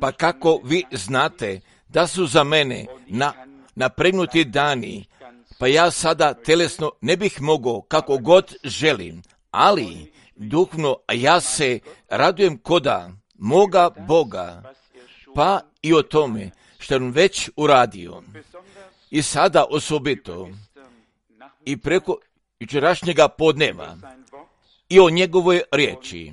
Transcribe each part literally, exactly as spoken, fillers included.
Pa kako vi znate da su za mene na, napregnuti dani, pa ja sada telesno ne bih mogao kako god želim, ali duhovno ja se radujem koda moga Boga, pa i o tome što je on već uradio. I sada osobito i preko jučerašnjega podneva i o njegovoj riječi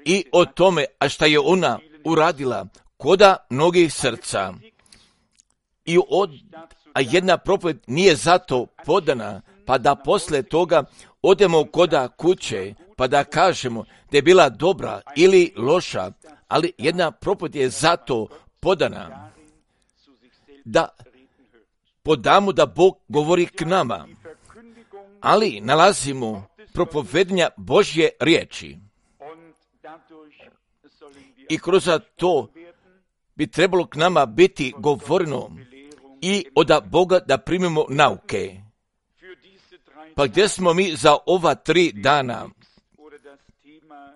i o tome, a šta je ona uradila koda mnogih srca. I od, a jedna propoved nije zato podana, pa da posle toga odemo koda kuće, pa da kažemo da je bila dobra ili loša, ali jedna propoved je zato podana, da podamo da Bog govori k nama, ali nalazimo propovednja Božje riječi. I kroz to bi trebalo k nama biti govoreno i od Boga da primimo nauke. Pa gdje smo mi za ova tri dana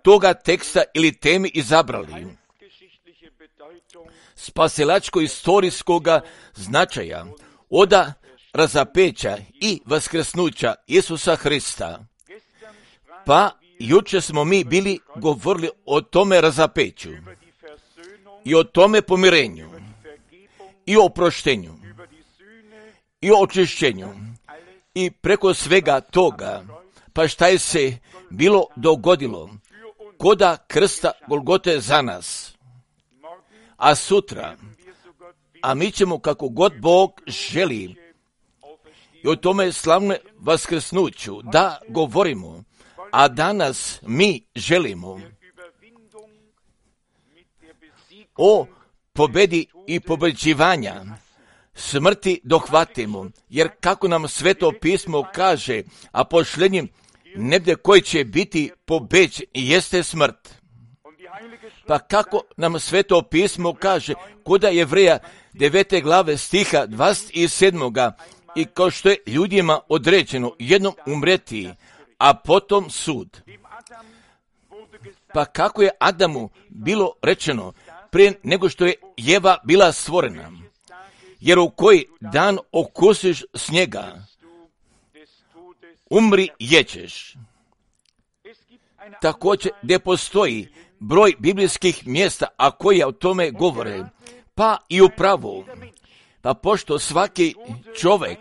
toga teksta ili temi izabrali? Spasilačko-istorijskoga značaja oda razapeća i vaskrsnuća Isusa Hrista. Pa jučer smo mi bili govorili o tome razapeću i o tome pomirenju i o oproštenju i o očišćenju i preko svega toga, pa šta je se bilo dogodilo koda krsta Golgote za nas. A sutra, a mi ćemo kako god Bog želi i o tome slavne vaskrsnuću da govorimo, a danas mi želimo o pobedi i pobeđivanja smrti dohvatimo, jer kako nam Sveto pismo kaže, a posljednjim nebde koji će biti pobeđen jeste smrt. Pa kako nam Sveto pismo kaže, koda Jevreja devete glave stiha dvadeset sedam. I kao što je ljudima određeno jednom umreti, a potom sud. Pa kako je Adamu bilo rečeno prije nego što je Jeva bila stvorena, jer u koji dan okusiš snijega, umri jećeš. Također gdje postoji broj biblijskih mjesta, a koji o tome govore, pa i upravo, pa pošto svaki čovjek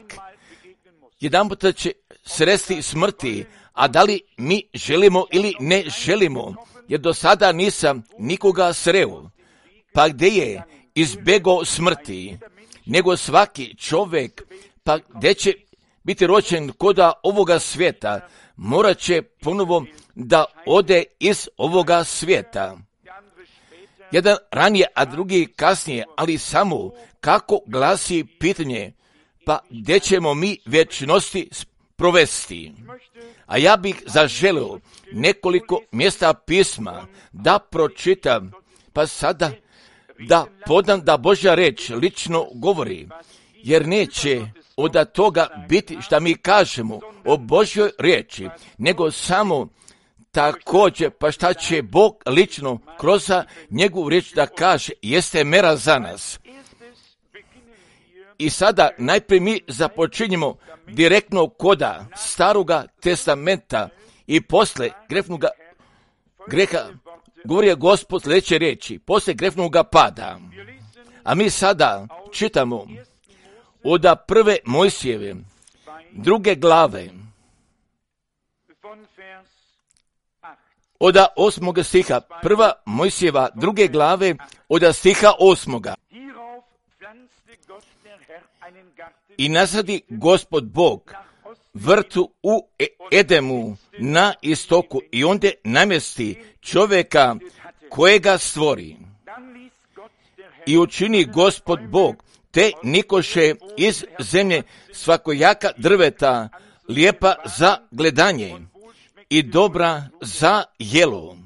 jedanputa će sresti smrti, a da li mi želimo ili ne želimo, jer do sada nisam nikoga sreo, pa gdje je izbjegao smrti, nego svaki čovjek, pa gdje će biti rođen koda ovoga svijeta, morat će ponovo da ode iz ovoga svijeta. Jedan ranije, a drugi kasnije, ali samo kako glasi pitanje, pa gdje ćemo mi vječnosti provesti. A ja bih zaželio nekoliko mjesta pisma da pročitam, pa sada da podam da Božja reč lično govori, jer neće od toga biti šta mi kažemo o Božjoj riječi, nego samo također pa šta će Bog lično kroz njegovu riječ da kaže, jeste mera za nas. I sada najprije mi započinjemo direktno koda Staroga testamenta i posle grefnoga greha govori je Gospod sljedeće riječi, posle grefnoga pada. A mi sada čitamo od prve Mojsijeve, druge glave, od osmoga stiha, prva Mojsijeva, druge glave, od stiha osmoga. I nasadi Gospod Bog vrtu u Edemu na istoku i onda namjesti čovjeka kojega stvori. I učini Gospod Bog te nikoše iz zemlje svakojaka drveta, lijepa za gledanje i dobra za jelo.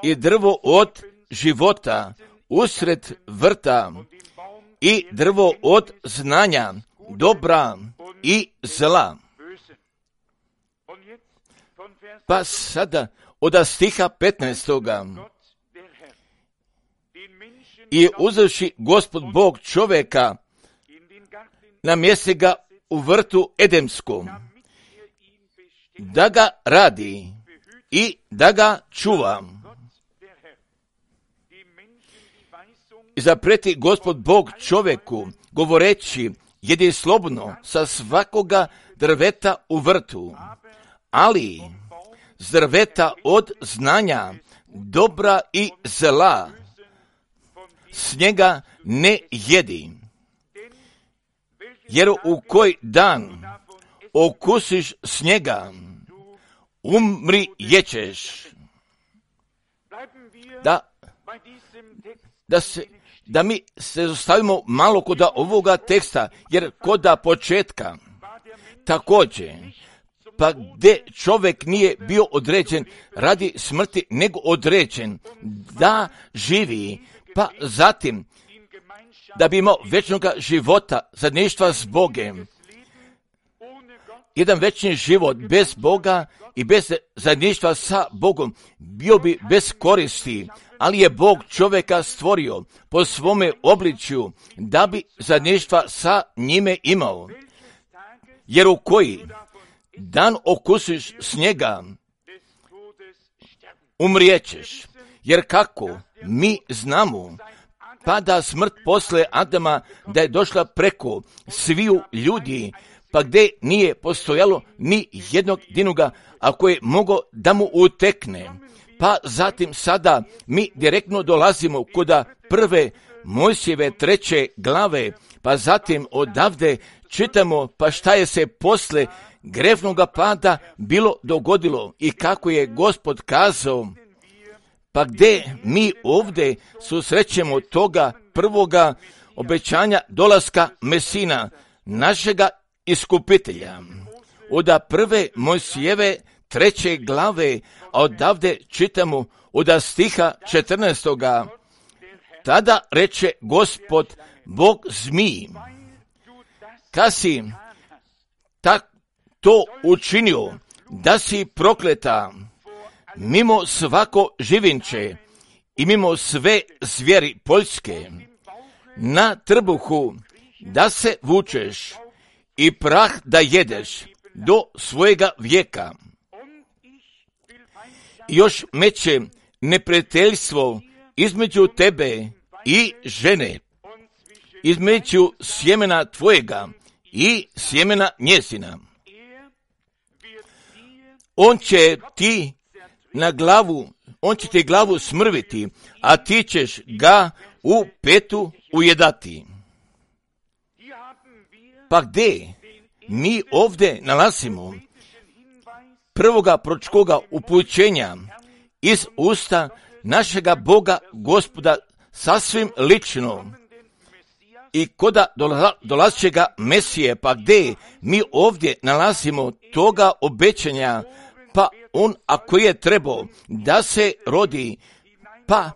I drvo od života usred vrta i drvo od znanja dobra i zla. Pa sada od stiha petnaestoga. I uzevši Gospod Bog čovjeka, namjesti ga u vrtu Edemskom, da ga radi i da ga čuva. I zapreti Gospod Bog čovjeku, govoreći, jedi slobodno sa svakoga drveta u vrtu, ali s drveta od znanja, dobra i zla, s njega ne jedi. Jer u koji dan okusiš s njega, umri jećeš. Da, da, se, da mi se zostavimo malo kod ovoga teksta, jer kod početka također, pa gdje čovjek nije bio određen radi smrti, nego određen da živi, pa zatim da bi imao vječnoga života, zajedništva s Bogom. Jedan večni život bez Boga i bez zajedništva sa Bogom bio bi bez koristi, ali je Bog čovjeka stvorio po svome obličju da bi zajedništva sa njime imao. Jer u koji dan okusiš s njega, umrijećeš. Jer kako mi znamo, pa da smrt posle Adama da je došla preko sviju ljudi, pa gdje nije postojalo ni jednog dinuga, ako je mogao da mu utekne. Pa zatim sada mi direktno dolazimo kod prve Mojsijeve treće glave, pa zatim odavde čitamo pa šta je se posle grevnoga pada bilo dogodilo i kako je Gospod kazao. Pa gdje mi ovdje susrećemo toga prvoga obećanja dolaska Mesina, našega iskupitelja. Od prve Mojsijeve treće glave, a odavde čitamo od stiha četrnaestoga. Tada reče Gospod Bog zmiji, kad si tak to učinio, da si prokleta mimo svako živinče i mimo sve zvijeri poljske, na trbuhu da se vučeš i prah da jedeš do svojega vijeka. I još meće neprijateljstvo između tebe i žene, između sjemena tvojega i sjemena njezina. On će ti na glavu, on će ti glavu smrviti, a ti ćeš ga u petu ujedati. Pa gdje mi ovdje nalazimo prvoga proročkoga upućenja iz usta našega Boga Gospoda sasvim lično i koda dolazećega Mesije, pa gdje mi ovdje nalazimo toga obećanja, pa on ako je trebao da se rodi, pa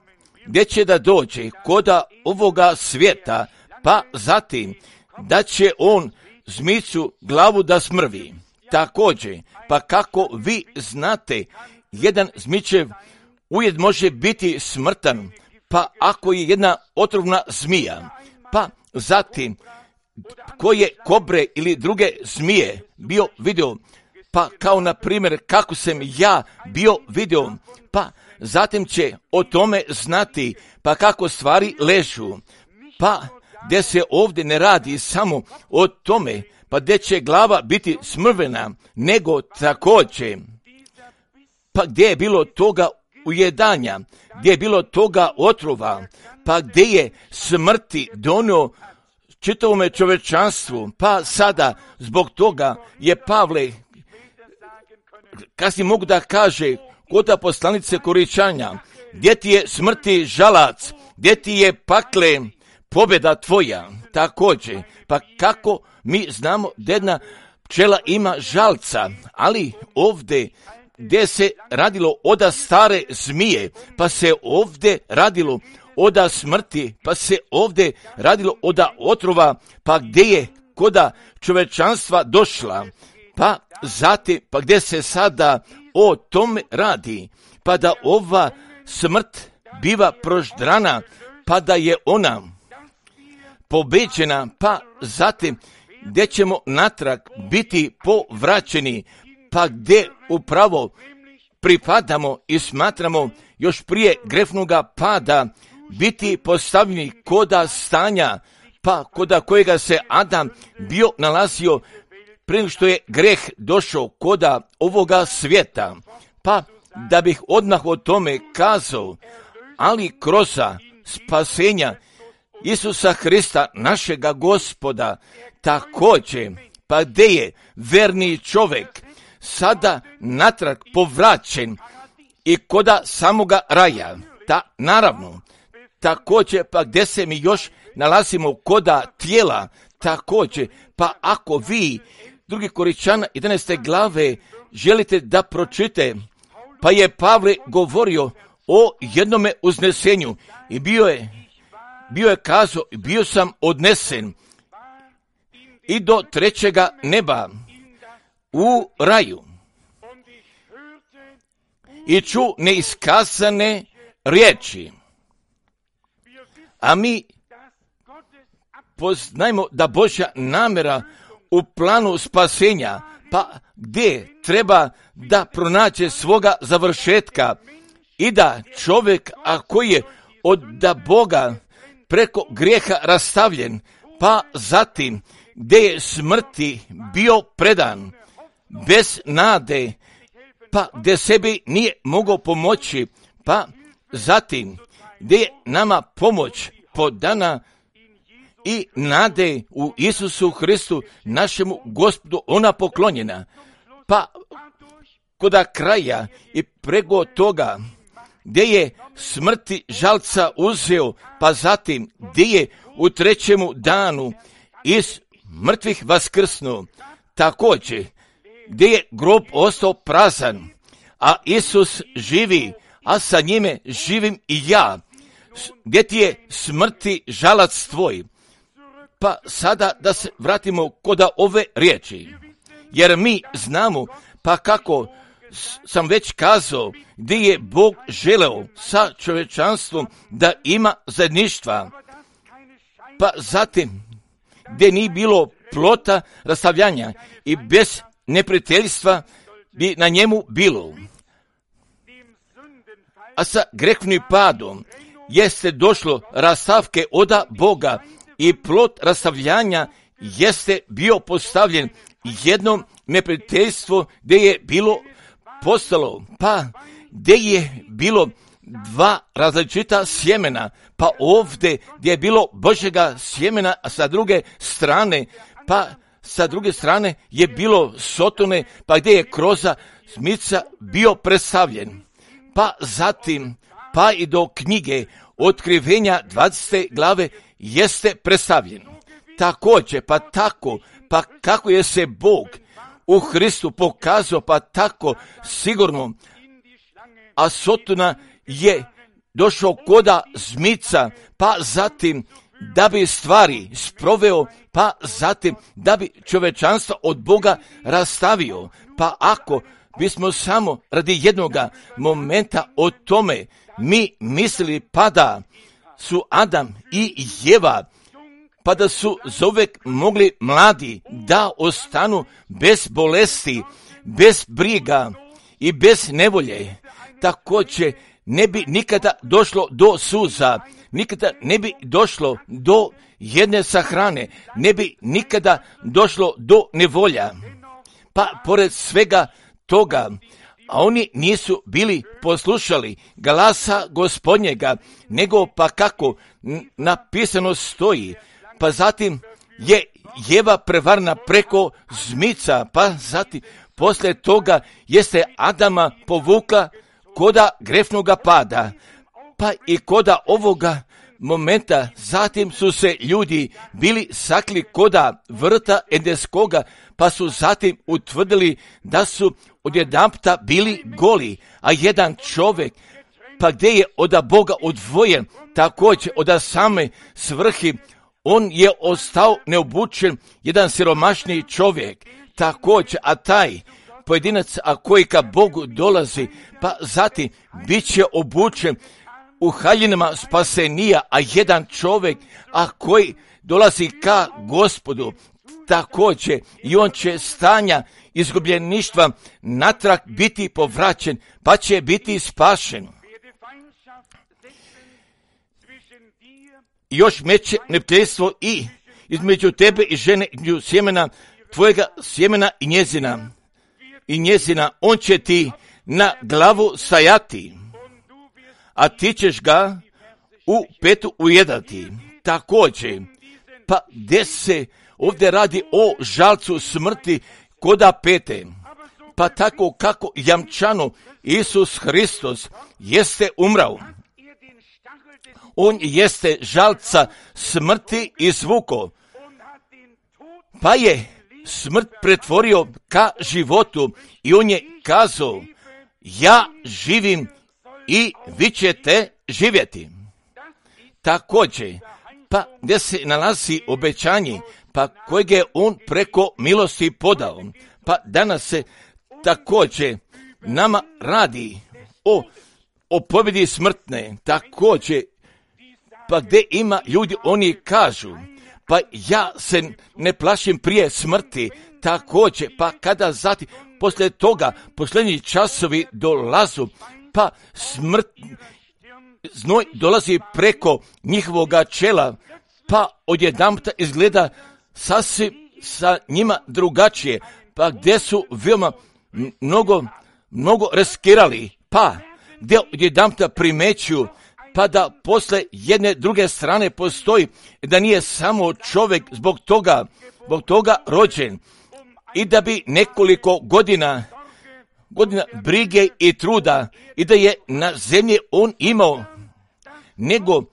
gdje će da dođe koda ovoga svijeta, pa zatim da će on zmicu glavu da smrvi. Također, pa kako vi znate, jedan zmičev ujed može biti smrtan, pa ako je jedna otrovna zmija, pa zatim koje kobre ili druge zmije bio vidio, pa kao na primjer kako sam ja bio vidio, pa zatim će o tome znati, pa kako stvari ležu, pa gdje se ovdje ne radi samo o tome, pa gdje će glava biti smrvena, nego također, pa gdje je bilo toga ujedanja, gdje je bilo toga otrova, pa gdje je smrti donio čitavome čovečanstvu, pa sada zbog toga je Pavle, kasnije mogu da kaže, kod poslanice Koričanja, gdje ti je smrti žalac, gdje ti je pakle pobjeda tvoja, također, pa kako mi znamo da jedna pčela ima žalca, ali ovdje gdje se radilo oda stare zmije, pa se ovdje radilo oda smrti, pa se ovdje radilo oda otrova, pa gdje je koda čovečanstva došla, pa zatim, pa gdje se sada o tome radi, pa da ova smrt biva proždrana, pa da je ona pobeđena, pa zatim gdje ćemo natrag biti povraćeni, pa gdje upravo pripadamo i smatramo još prije grefnoga pada biti postavljeni koda stanja, pa koda kojega se Adam bio nalazio prije što je greh došao koda ovoga svijeta. Pa da bih odmah o tome kazao, ali kroz spasenja Isusa Hrista, našega Gospoda, također, pa gdje je verni čovjek sada natrag povraćen i koda samoga raja, ta naravno, također, pa gdje se mi još nalazimo koda tijela, također, pa ako vi, drugi Koričana jedanaeste glave, želite da pročite, pa je Pavle govorio o jednome uznesenju i bio je, bio je kazao, bio sam odnesen i do trećega neba u raju i ču neiskazane riječi. A mi poznajmo da Božja namjera u planu spasenja, pa gdje treba da pronađe svoga završetka i da čovjek, a koji je od da Boga preko grijeha rastavljen, pa zatim gdje je smrti bio predan, bez nade, pa gdje sebi nije mogao pomoći, pa zatim gdje je nama pomoć podana i nade u Isusu Hristu, našemu Gospodu, ona poklonjena. Pa koda kraja i preko toga gdje je smrti žalca uzeo, pa zatim gdje je u trećemu danu iz mrtvih vaskrsnuo, također gdje je grob ostao prazan, a Isus živi, a sa njime živim i ja. Gdje ti je smrti žalac tvoj? Pa sada da se vratimo koda ove riječi, jer mi znamo, pa kako sam već kazao, gdje je Bog želeo sa čovječanstvom da ima zajedništva, pa zatim gdje nije bilo plota rastavljanja i bez neprijateljstva bi na njemu bilo. A sa grehnim padom jeste došlo rastavke oda Boga i plot rastavljanja jeste bio postavljen jednom neprijateljstvo gdje je bilo postalo, pa gdje je bilo dva različita sjemena, pa ovdje gdje je bilo Božjega sjemena, a sa druge strane, pa sa druge strane je bilo Sotone, pa gdje je kroza smica bio predstavljen. Pa zatim, pa i do knjige Otkrivenja dvadesete glave jeste predstavljen. Također, pa tako, pa kako je se Bog u Hristu pokazao, pa tako sigurno, a Sotona je došao koda zmica, pa zatim da bi stvari sproveo, pa zatim da bi čovečanstvo od Boga rastavio. Pa ako bismo samo radi jednoga momenta o tome mi mislili, pa da su Adam i Jeva, pa da su zauvek mogli mladi da ostanu bez bolesti, bez briga i bez nevolje, također ne bi nikada došlo do suza, nikada ne bi došlo do jedne sahrane, ne bi nikada došlo do nevolja. Pa pored svega toga, a oni nisu bili poslušali glasa Gospodnjega, nego pa kako napisano stoji, pa zatim je Jeva prevarna preko zmica, pa zatim poslije toga jeste Adama povukla koda grefnoga pada, pa i koda ovoga momenta zatim su se ljudi bili sakli koda vrta Edenskoga, pa su zatim utvrdili da su odjedanputa bili goli, a jedan čovjek, pa gdje je od Boga odvojen, također od same svrhi, on je ostao neobučen, jedan siromašni čovjek, također, a taj pojedinac, a koji ka Bogu dolazi, pa zatim bit će obučen u haljinama spasenija, a jedan čovjek, a koji dolazi ka Gospodu, također i on će stanja izgubljeništva natrag biti povraćen, pa će biti spašen. Još meće neprijateljstvo i između tebe i žene, između sjemena tvojega sjemena i njezina. I njezina, on će ti na glavu stajati, a ti ćeš ga u petu ujedati. Također, pa gdje se ovdje radi o žalcu smrti koda pete, pa tako kako jamčano Isus Hristos jeste umrao. On jeste žalca smrti izvuko, pa je smrt pretvorio ka životu i on je kazao, ja živim i vi ćete živjeti. Također, pa gdje se nalazi obećanje, pa kojeg je on preko milosti podao, pa danas se također nama radi o, o pobjedi smrtne, također, pa gdje ima ljudi, oni kažu, pa ja se ne plašim prije smrti, također, pa kada zatim, poslije toga, posljednji časovi dolazu, pa smrt, znoj dolazi preko njihovoga čela, pa odjedanputa izgleda sasvim sa njima drugačije, pa gdje su veoma mnogo, mnogo riskirali, pa gdje odjedanputa primećuju, pa da posle jedne druge strane postoji, da nije samo čovjek zbog toga, zbog toga rođen i da bi nekoliko godina, godina brige i truda i da je na zemlji on imao, nego,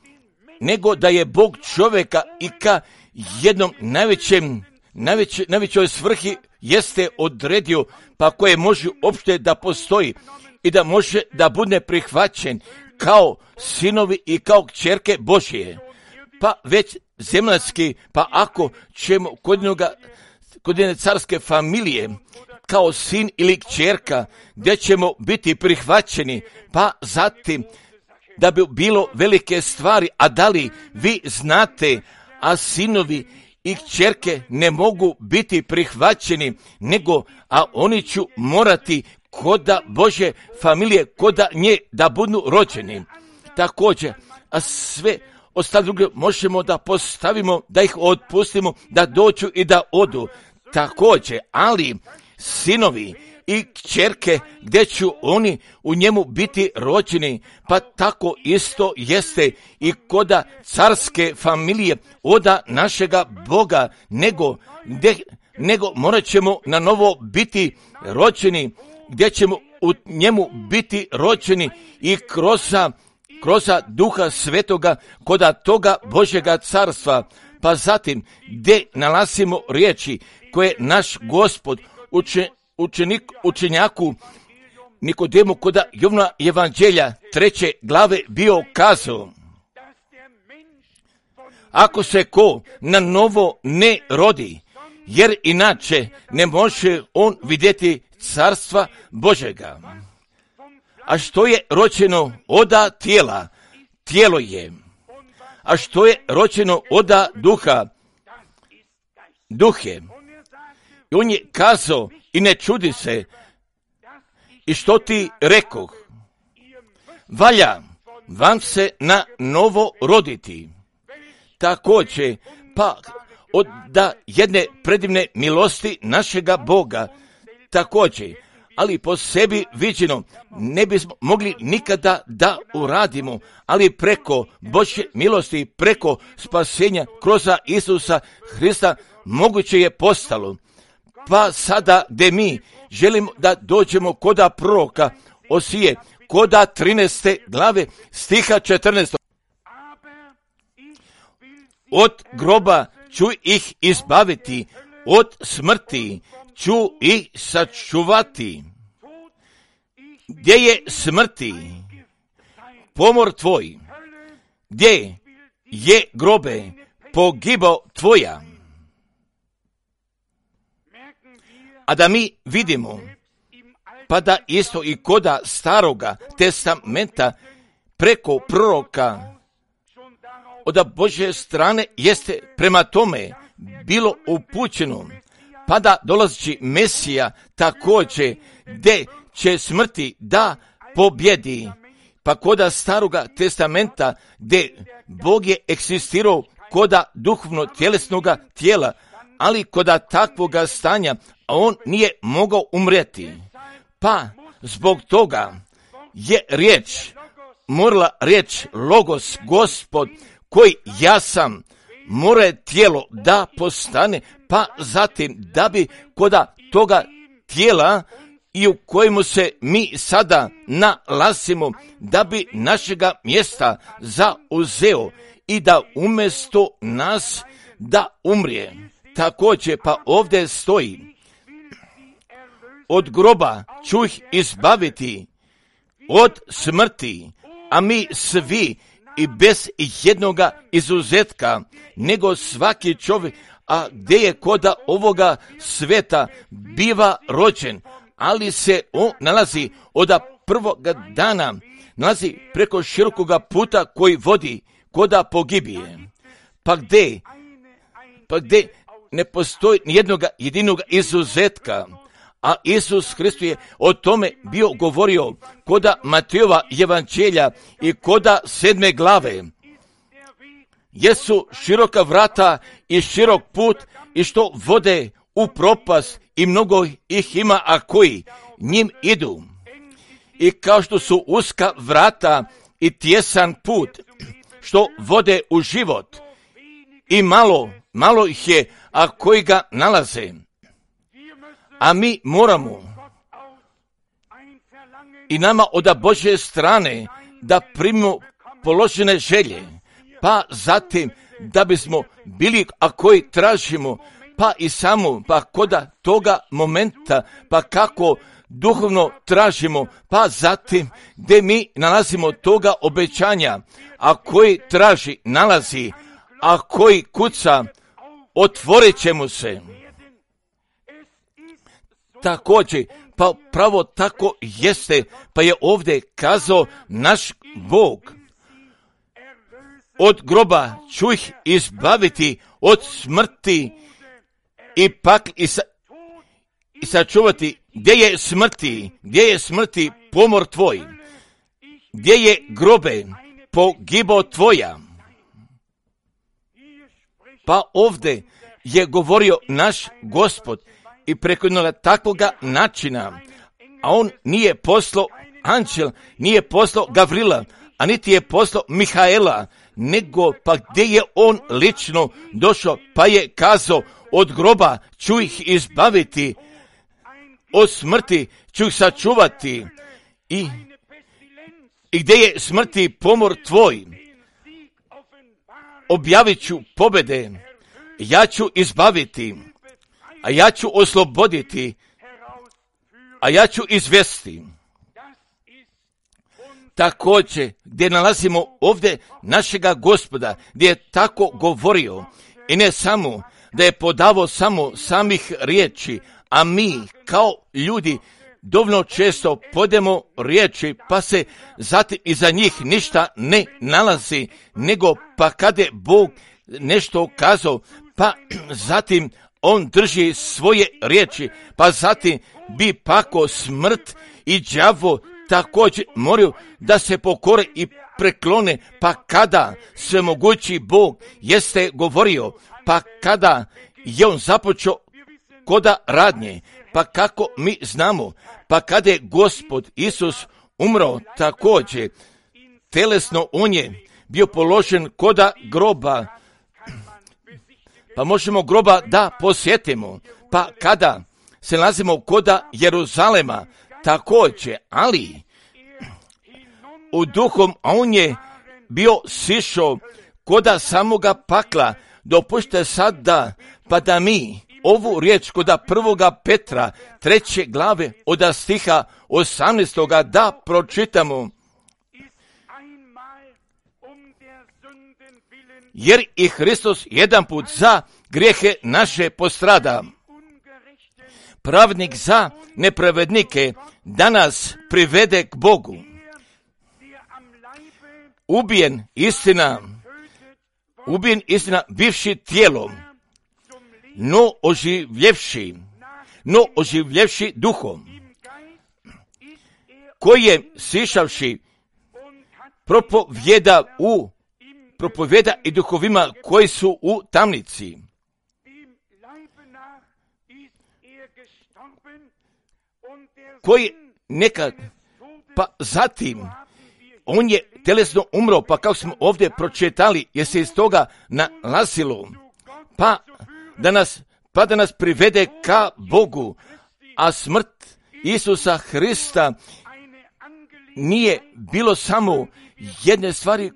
nego da je Bog čovjeka i ka jednom najvećem, najveće, najvećoj svrhi jeste odredio, pa koje može uopšte da postoji i da može da bude prihvaćen kao sinovi i kao kćerke Božije. Pa već zemljanski, pa ako ćemo kod jednoga, kod jedne carske familije, kao sin ili kćerka, gdje ćemo biti prihvaćeni, pa zatim da bi bilo velike stvari, a da li vi znate, a sinovi i kćerke ne mogu biti prihvaćeni, nego, a oni će morati koda Bože familije, koda nje da budu rođeni. Također, a sve ostale druge možemo da postavimo, da ih otpustimo, da dođu i da odu. Također, ali sinovi i kćerke, gdje će oni u njemu biti rođeni, pa tako isto jeste i koda carske familije oda našega Boga, nego, gdje, nego morat ćemo na novo biti rođeni, gdje ćemo u njemu biti rođeni i kroz, kroz Duha Svetoga koda toga Božjega carstva. Pa zatim, gdje nalazimo riječi koje naš Gospod uče, učenik, učenjaku Nikodemu koda Jovna Evanđelja treće glave bio kazao, ako se ko na novo ne rodi, jer inače ne može on vidjeti carstva Božega. A što je rođeno oda tijela, tijelo je. A što je rođeno oda duha, duh je. I on je kazao, i ne čudi se, i što ti rekoh, valja vam se na novo roditi. Također, pa od da jedne predivne milosti našega Boga, također, ali po sebi viđeno ne bismo mogli nikada da uradimo, ali preko Božje milosti, preko spasenja kroz Isusa Hrista moguće je postalo. Pa sada gdje mi želimo da dođemo koda proroka Osije, koda trinaeste glave stiha četrnaestog. Od groba ću ih izbaviti, od smrti ću ih sačuvati. Gdje je smrti pomor tvoj, gdje je grobe pogibao tvoja. A da mi vidimo pa da isto i koda staroga testamenta preko proroka od Božje strane jeste prema tome bilo upućeno, pa da dolazi Mesija također, gdje će smrti da pobjedi. Pa koda staroga testamenta, gdje Bog je eksistirao koda duhovno tjelesnoga tijela, ali koda takvoga stanja on nije mogao umrijeti. Pa zbog toga je riječ, morala riječ Logos, Gospod, koji ja sam, mora tijelo da postane, pa zatim da bi koda toga tijela i u kojemu se mi sada nalazimo, da bi našega mjesta zauzeo i da umjesto nas da umrije. Također pa ovdje stoji, od groba ću ih izbaviti, od smrti, a mi svi i bez jednoga izuzetka, nego svaki čovjek, a gdje je koda ovoga sveta biva rođen, ali se on nalazi od prvoga dana, nalazi preko širokoga puta koji vodi koda pogibije. Pa gdje, pa gdje ne postoji nijednoga jedinoga izuzetka, a Isus Hrist je o tome bio govorio koda Matejova evanđelja i koda sedme glave. Jesu široka vrata i širok put i što vode u propast i mnogo ih ima, a koji njim idu. I kao što su uska vrata i tjesan put što vode u život i malo, malo ih je, a koji ga nalaze. A mi moramo i nama od Božje strane da primimo položene želje, pa zatim da bismo bili, a koji tražimo, pa i samo, pa koda toga momenta, pa kako duhovno tražimo, pa zatim gdje mi nalazimo toga obećanja, a koji traži, nalazi, a koji kuca, otvorit će mu se. Također, pa pravo tako jeste, pa je ovdje kazao naš Bog. Od groba ću ih izbaviti, od smrti i pak i, sa, i sačuvati. Gdje je smrti, gdje je smrti pomor tvoj, gdje je grobe pogibo tvoja. Pa ovdje je govorio naš Gospod i preko jednoga takvoga načina, a on nije poslao anđel, nije poslao Gavrila, a niti je poslao Mihaela, nego pa gdje je on lično došao, pa je kazao, od groba ću ih izbaviti, od smrti ću ih sačuvati i, i gdje je smrti pomor tvoj, objavit ću pobjede, ja ću izbaviti, a ja ću osloboditi, a ja ću izvesti. Također, gdje nalazimo ovdje našega Gospoda, gdje je tako govorio, i ne samo da je podavao samo samih riječi, a mi kao ljudi dovoljno često podemo riječi, pa se zatim iza njih ništa ne nalazi, nego pa kada je Bog nešto kazao, pa zatim on drži svoje riječi, pa zatim bi pako smrt i đavo također moraju da se pokore i preklone, pa kada svemogući Bog jeste govorio, pa kada je on započeo koda radnje, pa kako mi znamo, pa kada je Gospod Isus umro također, telesno on je bio položen koda groba, pa možemo groba da posjetimo, pa kada se nalazimo koda Jeruzalema također, ali u duhom on je bio sišao koda samoga pakla. Dopušte sad da, pa da mi ovu riječ koda prvoga Petra, treće glave od stiha osamnaestoga da pročitamo. Jer i Hristos jedan put za grijehe naše postrada, pravnik za nepravednike, da nas privede k Bogu. Ubijen istina, ubijen istina bivši tijelom, no oživljevši, no oživljevši duhom, koji je sišavši propovjeda u propovjeda i duhovima koji su u tamnici. Koji nekad, pa zatim, on je telesno umro, pa kako smo ovdje pročitali, je se iz toga nalazilo, pa da nas, pa da nas privede ka Bogu, a smrt Isusa Hrista nije bilo samo jedne stvari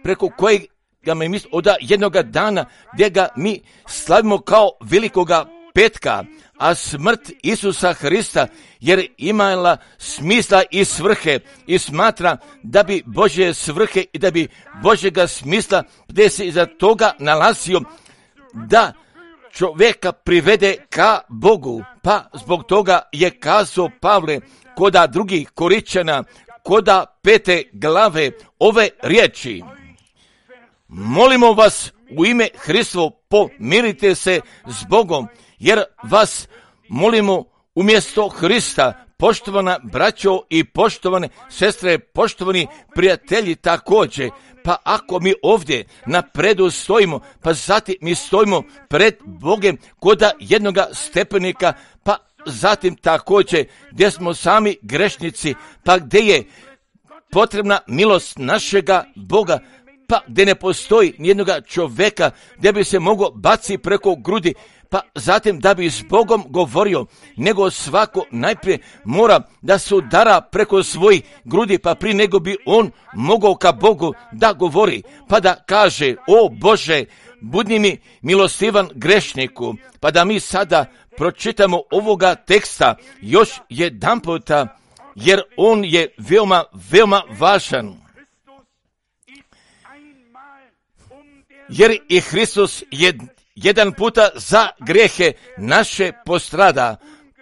preko kojeg ga mi misli od jednoga dana gdje ga mi slavimo kao velikoga petka, a smrt Isusa Hrista jer imala smisla i svrhe i smatra da bi Božje svrhe i da bi Božjega smisla gdje se iza toga nalazio da čovjeka privede ka Bogu, pa zbog toga je kazao Pavle koda drugih Koričana, koda pete glave ove riječi. Molimo vas u ime Hristovo, pomirite se s Bogom, jer vas molimo umjesto Hrista, poštovana braćo i poštovane sestre, poštovani prijatelji također. Pa ako mi ovdje na predu stojimo, pa zatim mi stojimo pred Bogem koda jednoga stepenika, pa zatim također gdje smo sami grešnici, pa gdje je potrebna milost našega Boga, pa gdje ne postoji nijednoga čovjeka gdje bi se mogao baciti preko grudi, pa zatim da bi s Bogom govorio, nego svako najprije mora da se udara preko svojih grudi, pa prije nego bi on mogao ka Bogu da govori, pa da kaže, o Bože, budi mi milostivan grešniku, pa da mi sada pročitamo ovoga teksta još jedan puta, jer on je veoma, veoma važan. Jer i Hristos je jedan puta za grijehe naše postrada,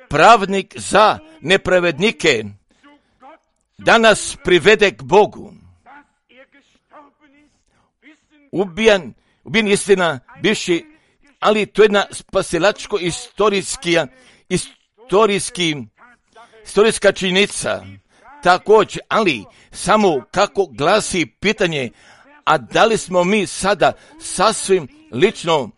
pravnik za nepravednike, da nas privede k Bogu. Ubijan, ubijen istina, bivši, ali to je jedna spasilačko istorijska, istorijski, istorijska činjenica. Također, ali samo kako glasi pitanje, a da li smo mi sada sasvim lično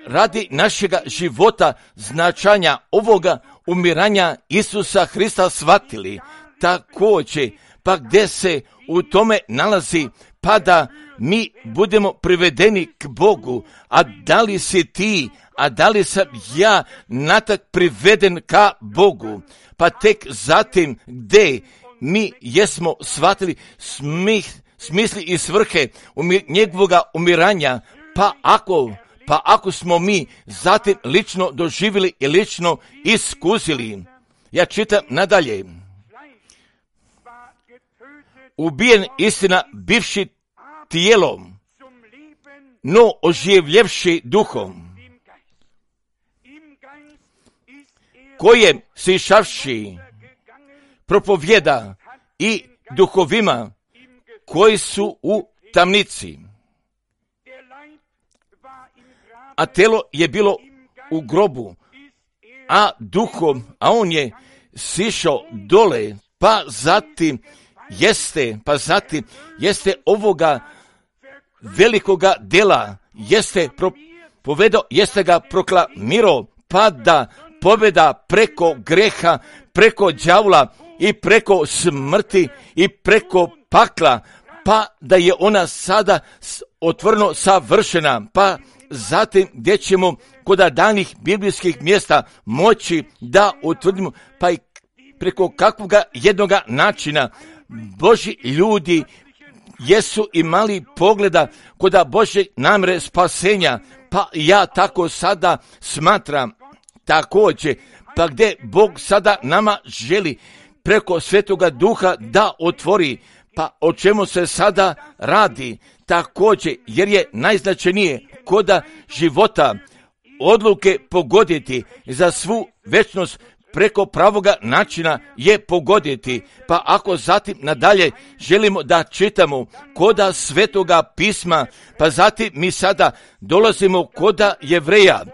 radi našega života značanja ovoga umiranja Isusa Hrista shvatili? Također, pa gdje se u tome nalazi, pa da mi budemo privedeni k Bogu, a da li si ti, a da li sam ja natak priveden ka Bogu, pa tek zatim gdje mi jesmo shvatili smih, smisli i svrhe umir, njegovoga umiranja, pa ako, pa ako smo mi zatim lično doživjeli i lično iskusili. Ja čitam nadalje. Ubijen istina bivši tijelom, no oživljevši duhom, kojem sišavši propovjeda i duhovima koji su u tamnici. A telo je bilo u grobu, a duhom, a on je sišao dole, pa zatim jeste, pa zatim jeste ovoga velikoga dela, jeste propovedao, jeste ga proklamirao, pa da pobjeda preko greha, preko đavla i preko smrti i preko pakla, pa da je ona sada otvoreno savršena, pa zatim gdje ćemo kod danih biblijskih mjesta moći da utvrdimo, pa i preko kakvoga jednoga načina Božji ljudi jesu imali pogleda kod Božje namjere spasenja, pa ja tako sada smatram također, pa gdje Bog sada nama želi preko Svetoga Duha da otvori, pa o čemu se sada radi također, jer je najznačajnije koda života odluke pogoditi za svu večnost preko pravoga načina je pogoditi. Pa ako zatim nadalje želimo da čitamo koda Svetoga pisma, pa zatim mi sada dolazimo koda Jevreja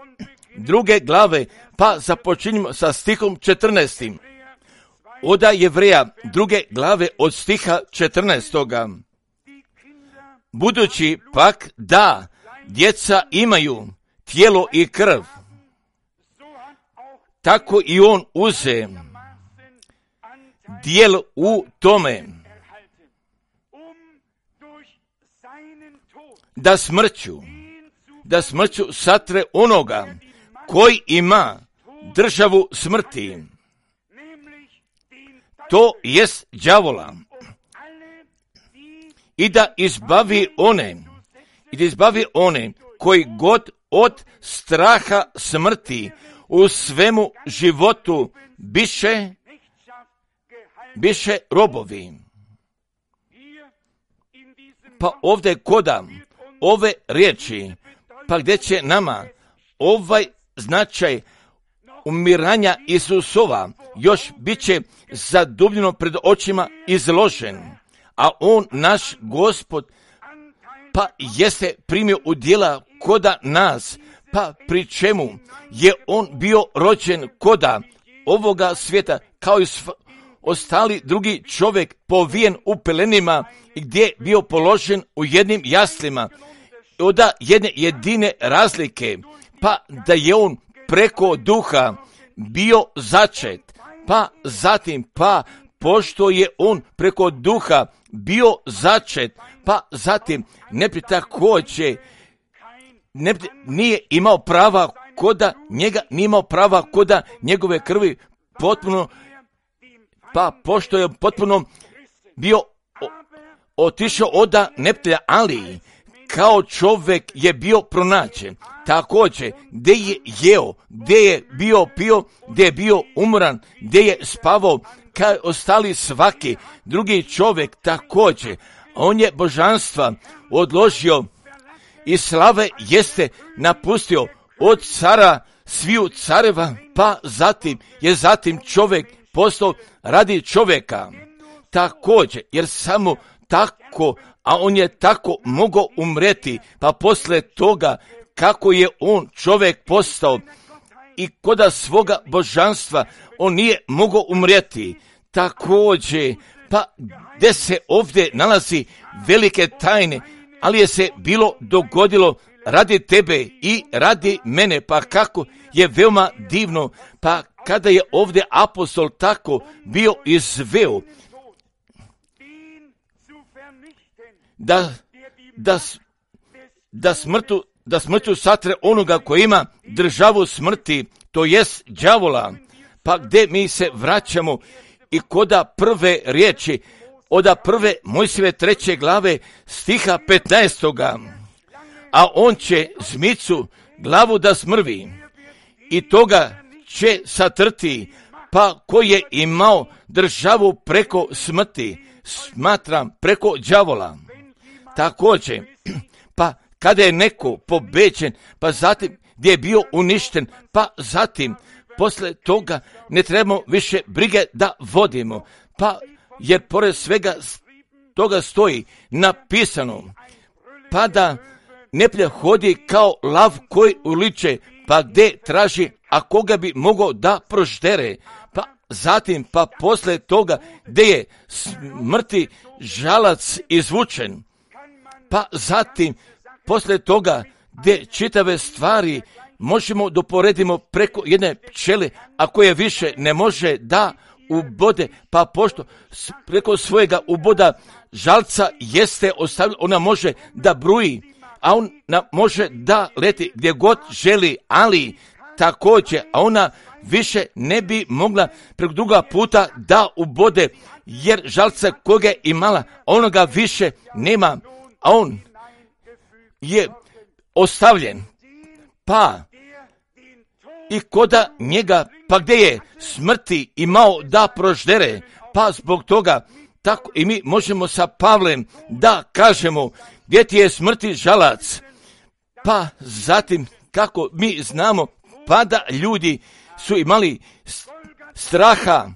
druge glave, pa započinjemo sa stihom četrnaestim. Oda Jevreja druge glave od stiha četrnaestoga. Budući pak da djeca imaju tijelo i krv, tako i on uze dijelo u tome, da smrću, da smrću satre onoga koji ima državu smrti, to jest đavola, i da izbavi one, i da izbavi one koji god od straha smrti u svemu životu biše, biše robovi. Pa ovdje koda ove riječi, pa gdje će nama ovaj značaj umiranja Isusova još bit će zadubljeno pred očima izložen, a on, naš Gospod, pa jeste primio udjela koda nas, pa pri čemu je on bio rođen koda ovoga svijeta, kao i sv- ostali drugi čovjek povijen u pelenima i gdje je bio položen u jednim jaslima. Od jedne jedine razlike, pa da je on preko duha bio začet, pa zatim, pa pošto je on preko duha bio začet, pa zatim ne bi također ne, nije imao prava koda njega, nije imao prava koda njegove krvi potpuno, pa pošto je potpuno bio o, otišao oda neptelja, ali kao čovjek je bio pronađen. Također, gdje je jeo, gdje je bio pio, gdje je bio umoran, gdje je spavao, kao ostali svaki drugi čovjek također. On je božanstva odložio i slave jeste napustio od cara sviju careva, pa zatim je zatim čovjek postao radi čovjeka. Također, jer samo tako, a on je tako mogao umreti, pa posle toga kako je on čovjek postao i koda svoga božanstva on nije mogao umreti. Također, pa gdje se ovdje nalazi velike tajne, ali je se bilo dogodilo radi tebe i radi mene, pa kako je veoma divno, pa kada je ovdje apostol tako bio izveo da, da, da smrtu da smrću satre onoga koji ima državu smrti, to jest đavola, pa gdje mi se vraćamo i koda prve riječi, oda prve Mojsijeve treće glave stiha petnaestoga. A on će zmicu glavu da smrvi i toga će satrti, pa koji je imao državu preko smrti, smatram preko đavola. Također, pa kada je neko pobeđen, pa zatim gdje je bio uništen, pa zatim posle toga ne trebamo više brige da vodimo, pa jer pored svega toga stoji napisano, pa da neptelj hodi kao lav koji uliče, pa gdje traži, a koga bi mogao da proždere, pa zatim, pa posle toga gdje je smrti žalac izvučen, pa zatim posle toga gdje čitave stvari možemo doporedimo preko jedne pčele, a koje više ne može da ubode, pa pošto preko svojega uboda žalca jeste ostavljeno, ona može da bruji, a ona može da leti gdje god želi, ali također, a ona više ne bi mogla preko druga puta da ubode, jer žalca koga je imala, onoga više nema, a on je ostavljen, pa i koda njega, pa gdje je smrti imao da proždere, pa zbog toga tako i mi možemo sa Pavlem da kažemo gdje ti je smrti žalac, pa zatim kako mi znamo, pa da ljudi su imali straha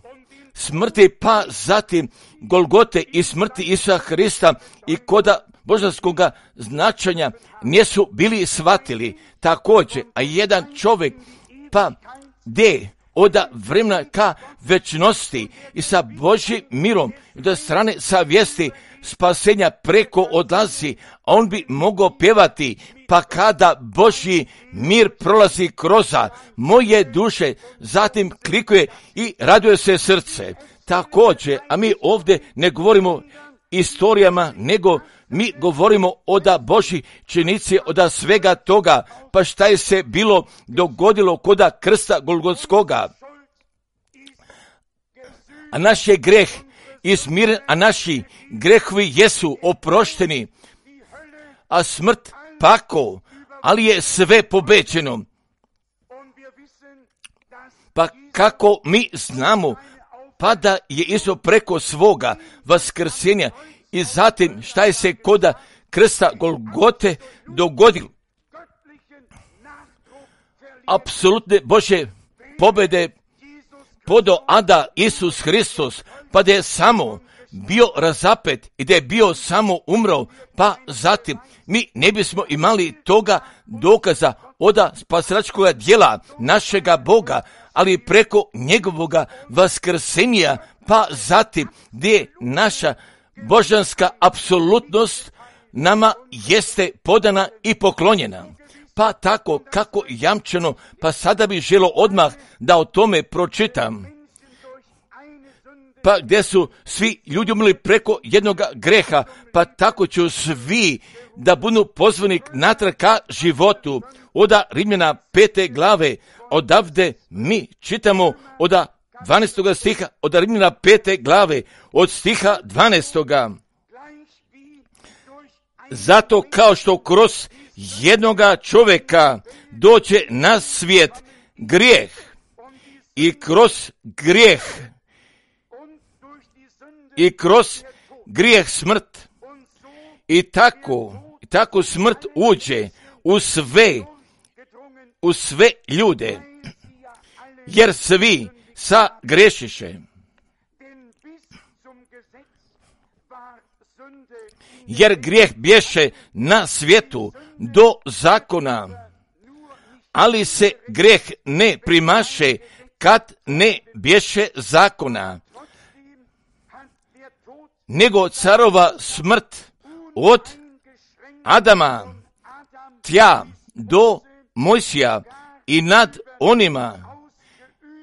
smrti, pa zatim Golgote i smrti Isusa Hrista i koda božanskog značenja nisu bili shvatili. Također, a jedan čovjek, pa gdje od vremena ka večnosti i sa Božjim mirom i do strane savjesti spasenja preko odlazi, a on bi mogao pjevati, pa kada Božji mir prolazi kroz moje duše, zatim klikuje i raduje se srce. Također, a mi ovdje ne govorimo istorijama, nego mi govorimo o da Božji činici, o da svega toga, pa šta je se bilo dogodilo koda krsta Golgotskoga. A naš je greh izmiren, a naši grehovi jesu oprošteni, a smrt pako, ali je sve pobeđeno. Pa kako mi znamo, pa da je Isus preko svoga vaskrsenja i zatim šta je se koda krsta Golgote dogodilo. Apsolutne Božje pobjede podo ada Isus Hristos, pa da je samo bio razapet i da je bio samo umro, pa zatim mi ne bismo imali toga dokaza oda spasilačkoga djela našega Boga, ali preko njegovoga vaskrsenja, pa zatim gdje naša božanska apsolutnost nama jeste podana i poklonjena. Pa tako kako jamčeno, pa sada bih želio odmah da o tome pročitam. Pa gdje su svi ljudi umrli preko jednog greha, pa tako ću svi da budu pozvani natrag ka životu. Oda Rimljana pete glave, odavde mi čitamo oda dvanaestoga stiha, od Rimljana pete glave, od stiha dvanaestoga. Zato kao što kroz jednoga čovjeka dođe na svijet grijeh i kroz grijeh i kroz grijeh smrt i tako, i tako smrt uđe u sve, u sve ljude, jer svi sa grešiše. Jer grijeh bješe na svijetu do zakona, ali se grijeh ne primaše kad ne bješe zakona, nego carova smrt od Adama tja do Mojsija i nad onima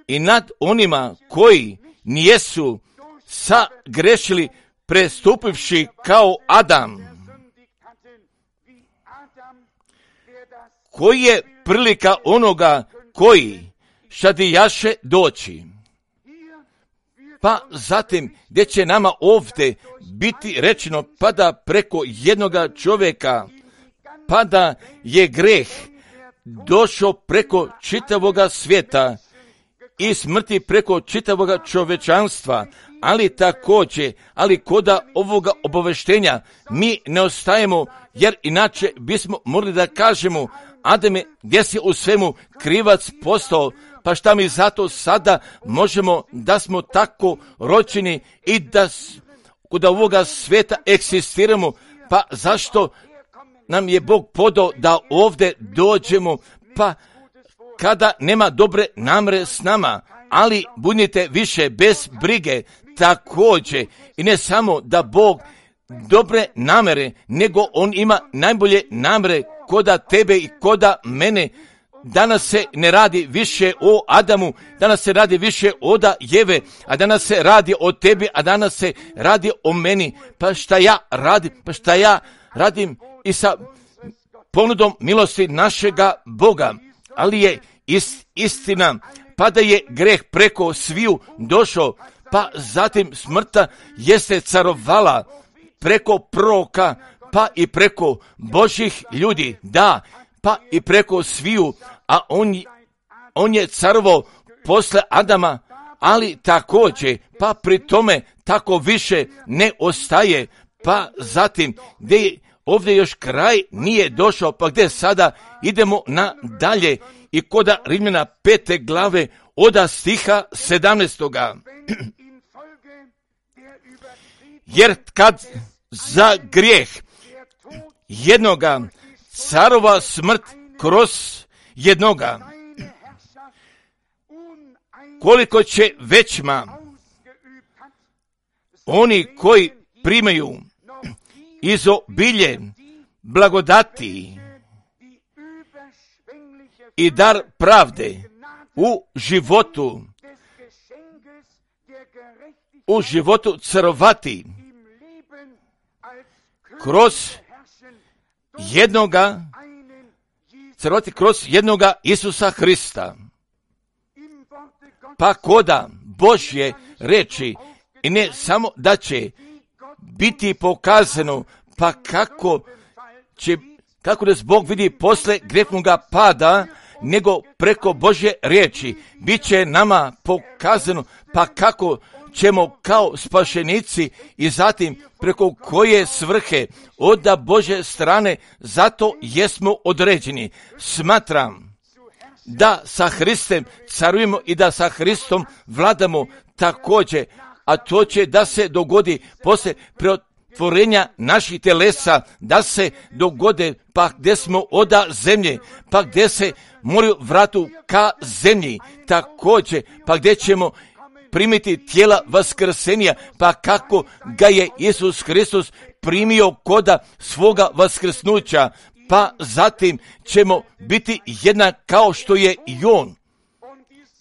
i nad onima koji nijesu sagrešili prestupivši kao Adam, koji je prilika onoga koji šadijaše doći. Pa zatim gdje će nama ovdje biti rečeno, pa da preko jednoga čovjeka, pa da je greh došao preko čitavoga svijeta i smrti preko čitavoga čovječanstva, ali također, ali koda ovoga obaveštenja mi ne ostajemo, jer inače bismo morali da kažemo, Adame, gdje si u svemu krivac postao, pa šta mi zato sada možemo da smo tako rođeni i da kod ovoga svijeta eksistiramo, pa zašto nam je Bog podao da ovdje dođemo, pa kada nema dobre namere s nama, ali budite više bez brige. Također, i ne samo da Bog dobre namere, nego On ima najbolje namere koda tebe i koda mene. Danas se ne radi više o Adamu, danas se radi više oda Jeve, a danas se radi o tebi, a danas se radi o meni. Pa šta ja radim? Pa šta ja radim i sa ponudom milosti našega Boga? Ali je ist, istina, pa da je greh preko sviju došao, pa zatim smrta jeste carovala preko proroka, pa i preko Božjih ljudi, da, pa i preko sviju, a on, on je carovo posle Adama, ali također, pa pri tome tako više ne ostaje, pa zatim gdje ovdje još kraj nije došao, pa gdje sada idemo na dalje i koda Rimljana pete glave oda stiha sedamnaestoga. Jer kad za grijeh jednoga carova smrt kroz jednoga, koliko će većma oni koji primaju izobilje blagodati i dar pravde u životu, u životu carovati kroz jednoga, carovati kroz jednoga Isusa Hrista. Pa koda Božje reči, i ne samo da će biti pokazano, pa kako će, kako nas Bog vidi posle grehnoga pada, nego preko Božje riječi bit će nama pokazano, pa kako ćemo kao spašenici i zatim preko koje svrhe od Božje strane, zato jesmo određeni. Smatram da sa Hristem carujemo i da sa Hristom vladamo također, a to će da se dogodi poslije preotvorenja naših telesa, da se dogode pa gdje smo oda zemlje, pa gdje se moraju vratu ka zemlji, također pa gdje ćemo primiti tijela vaskrsenja, pa kako ga je Isus Hristos primio koda svoga vaskrsnuća, pa zatim ćemo biti jednak kao što je i on.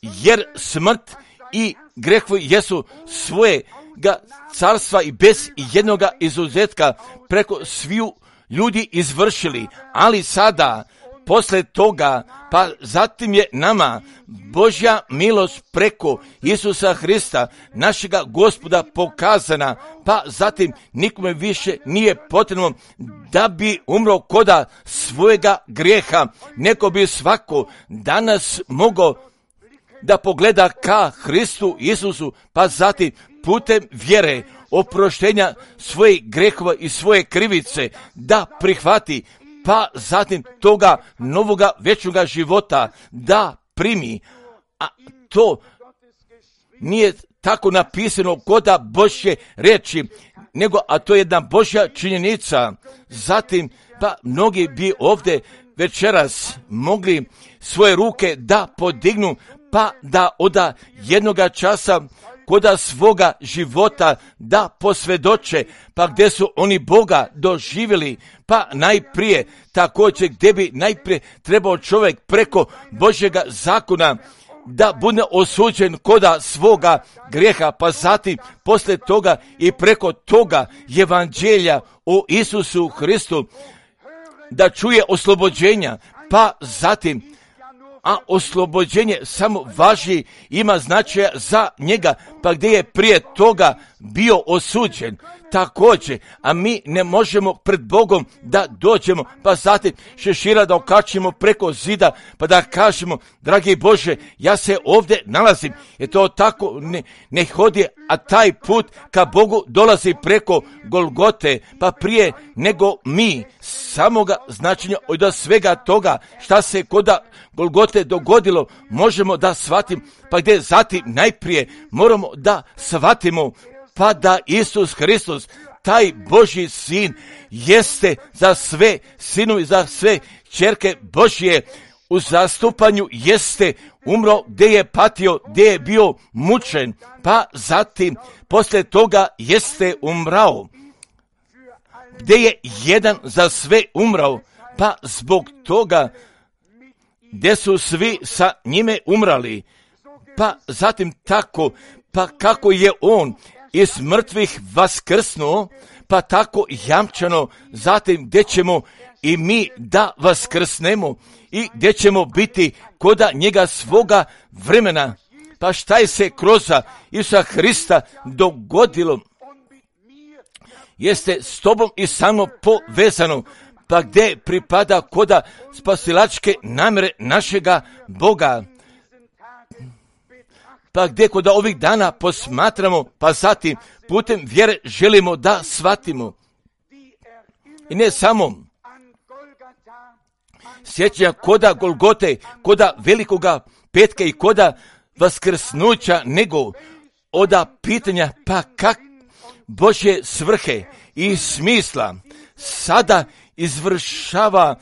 Jer smrt i grehovi jesu svojega carstva i bez jednoga izuzetka preko sviju ljudi izvršili, ali sada posle toga, pa zatim je nama Božja milost preko Isusa Hrista, našega Gospoda, pokazana, pa zatim nikome više nije potrebno da bi umro koda svojega grijeha, neko bi svako danas mogao da pogleda ka Hristu Isusu, pa zatim putem vjere oproštenja svojih grehova i svoje krivice da prihvati, pa zatim toga novoga večnoga života da primi. A to nije tako napisano koda Božje riječi, nego a to je jedna Božja činjenica. Zatim, pa mnogi bi ovdje večeras mogli svoje ruke da podignu, pa da oda jednoga časa koda svoga života da posvjedoče, pa gdje su oni Boga doživjeli, pa najprije također gdje bi najprije trebao čovjek preko Božjega zakona da bude osuđen koda svoga grijeha, pa zatim poslije toga i preko toga evanđelja o Isusu Hristu da čuje oslobođenja, pa zatim a oslobođenje samo važi, ima značaja za njega, pa gdje je prije toga bio osuđen također, a mi ne možemo pred Bogom da dođemo, pa zatim šešira da okačimo preko zida, pa da kažemo, dragi Bože, ja se ovdje nalazim, jer to tako ne, ne hodi, a taj put ka Bogu dolazi preko Golgote, pa prije nego mi samoga značenja od svega toga šta se koda Golgote dogodilo, možemo da shvatim, pa gdje zatim najprije moramo da shvatimo, pa da Isus Hristos, taj Božji sin, jeste za sve sinovi, za sve ćerke Božje, u zastupanju jeste umro, gdje je patio, gdje je bio mučen, pa zatim poslije toga jeste umrao, gdje je jedan za sve umrao, pa zbog toga gdje su svi sa njime umrali, pa zatim tako, pa kako je on iz mrtvih vaskrsnuo, pa tako jamčano, zatim gdje ćemo i mi da vaskrsnemo i gdje ćemo biti koda njega svoga vremena. Pa šta je se kroz Isusa Hrista dogodilo, jeste s tobom i samo povezano, pa gdje pripada koda spasilačke namjere našega Boga, pa gdje kod ovih dana posmatramo, pa zatim putem vjere želimo da shvatimo. I ne samo sjećanja koda Golgote, koda velikoga petka i koda vaskrsnuća, nego oda pitanja pa kak Božje svrhe i smisla sada izvršava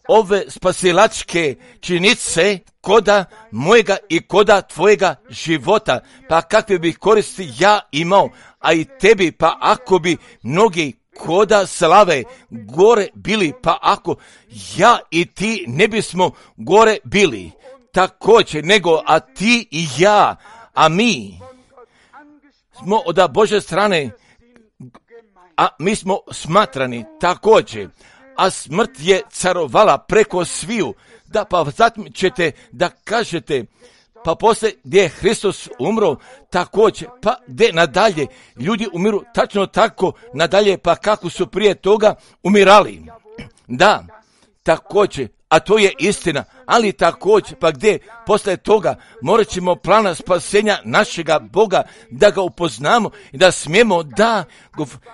ove spasilačke činice koda mojega i koda tvojega života, pa kakve bih koristi ja imao, a i tebi, pa ako bi mnogi koda slave gore bili, pa ako ja i ti ne bismo gore bili, također nego, a ti i ja, a mi smo od Božje strane, a mi smo smatrani također, a smrt je carovala preko sviju, da pa zatim ćete da kažete, pa poslije gdje je Hristos umro, također, pa gdje nadalje ljudi umiru tačno tako nadalje, pa kako su prije toga umirali. Da, također, a to je istina, ali također, pa gdje posle toga morat ćemo plana spasenja našega Boga da ga upoznamo i da smijemo da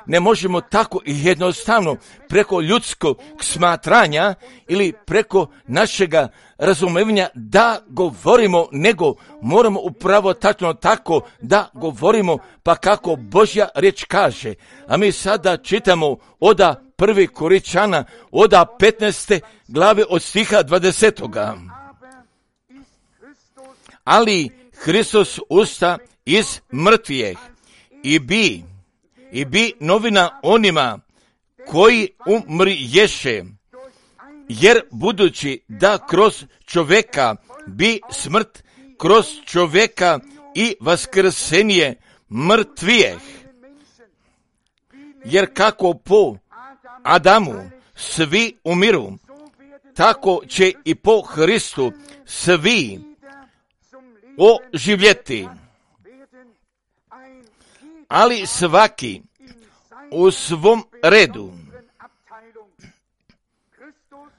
ne možemo tako jednostavno preko ljudskog smatranja ili preko našega razumevanja da govorimo, nego moramo upravo tačno tako da govorimo, pa kako Božja riječ kaže. A mi sada čitamo oda prvi Koričana, oda petnaeste glave od stiha dvadesetoga. Ali Hristos usta iz mrtvijeh i bi, i bi novina onima koji umriješe, jer budući da kroz čovjeka bi smrt, kroz čovjeka i vaskrsenje mrtvijeh, jer kako po Adamu svi umiru, tako će i po Hristu svi oživjeti. Ali svaki u svom redu.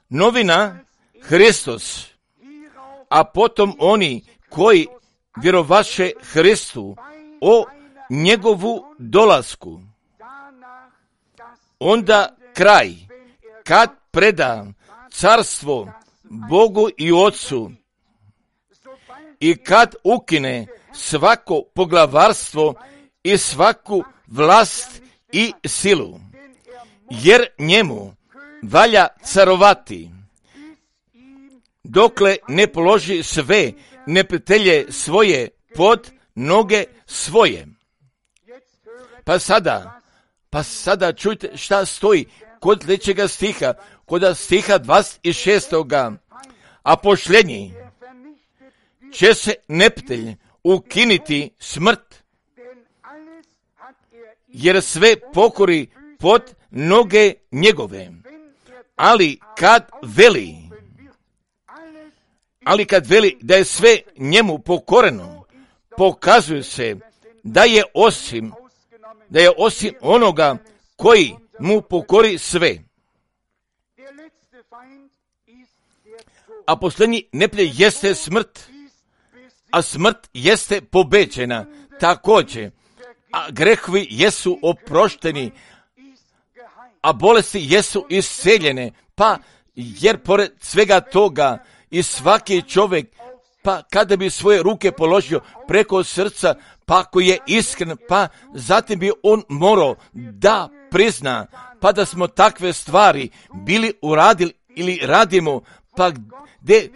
Novina Hristos, a potom oni koji vjerovaše Hristu o njegovu dolasku. Onda kraj, kad preda carstvo Bogu i Otcu i kad ukine svako poglavarstvo i svaku vlast i silu, jer njemu valja carovati, dokle ne položi sve neprijatelje svoje pod noge svoje. Pa sada, pa sada čujte šta stoji kod sljedećega stiha, kod stiha dvadeset šestoga. A posljednji će se neprijatelj ukiniti smrt, jer sve pokori pod noge njegove. Ali kad veli, ali kad veli da je sve njemu pokoreno, pokazuje se da je osim, da je osim onoga koji mu pokori sve. A posljednji neprijatelj jeste smrt, a smrt jeste pobeđena također, a grehovi jesu oprošteni, a bolesti jesu isceljene, pa jer pored svega toga i svaki čovjek, pa kada bi svoje ruke položio preko srca, pa ako je iskren, pa zatim bi on morao da prizna, pa da smo takve stvari bili uradili ili radimo, pa gdje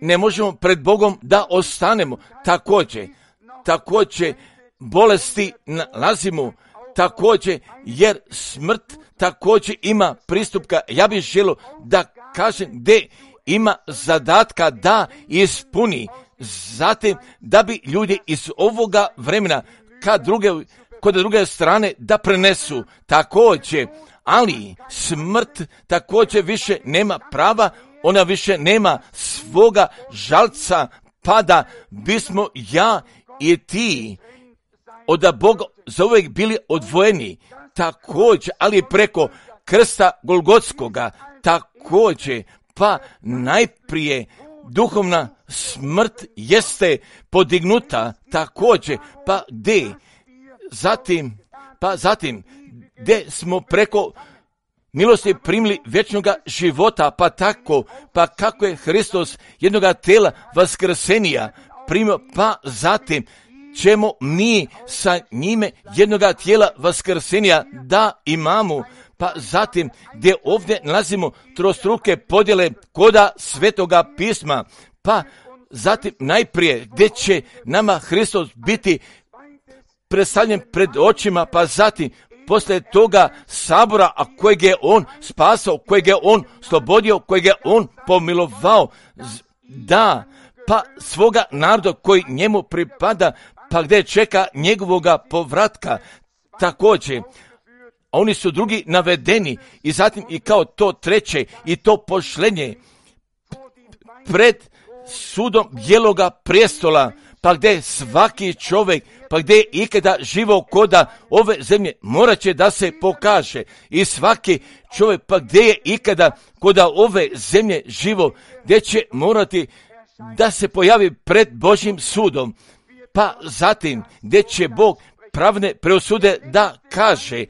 ne možemo pred Bogom da ostanemo. Također, također bolesti nalazimo, također jer smrt također ima pristupka. Ja bih želio da kažem gdje ima zadatka da ispuni, zatim da bi ljudi iz ovoga vremena kad druge, kod druge strane da prenesu također, ali smrt također više nema prava, ona više nema svoga žalca, pa da bismo ja i ti od Boga zauvijek bili odvojeni, također, ali preko krsta Golgotskoga, također, pa najprije duhovna smrt jeste podignuta, također, pa gdje, zatim, pa zatim, gdje smo preko milosti primili vječnoga života, pa tako, pa kako je Hristos jednoga tela vaskrsenija primio, pa zatim ćemo mi sa njime jednoga tijela vaskrsenija da imamo, pa zatim gdje ovdje nalazimo trostruke podjele koda Svetoga pisma, pa zatim najprije gdje će nama Hristos biti predstavljen pred očima, pa zatim poslije toga sabora, a kojeg je on spasao, kojeg je on slobodio, kojeg je on pomilovao, da, pa svoga naroda koji njemu pripada, pa gdje čeka njegovoga povratka, također. Oni su drugi navedeni i zatim i kao to treće i to pošlenje pred sudom bijeloga prijestola, pa gdje svaki čovjek, pa gdje je ikada živo koda ove zemlje, morat će da se pokaže. I svaki čovjek, pa gdje je ikada koda ove zemlje živo, gdje će morati da se pojavi pred Božjim sudom. Pa zatim, gdje će Bog pravne preosude da kaže,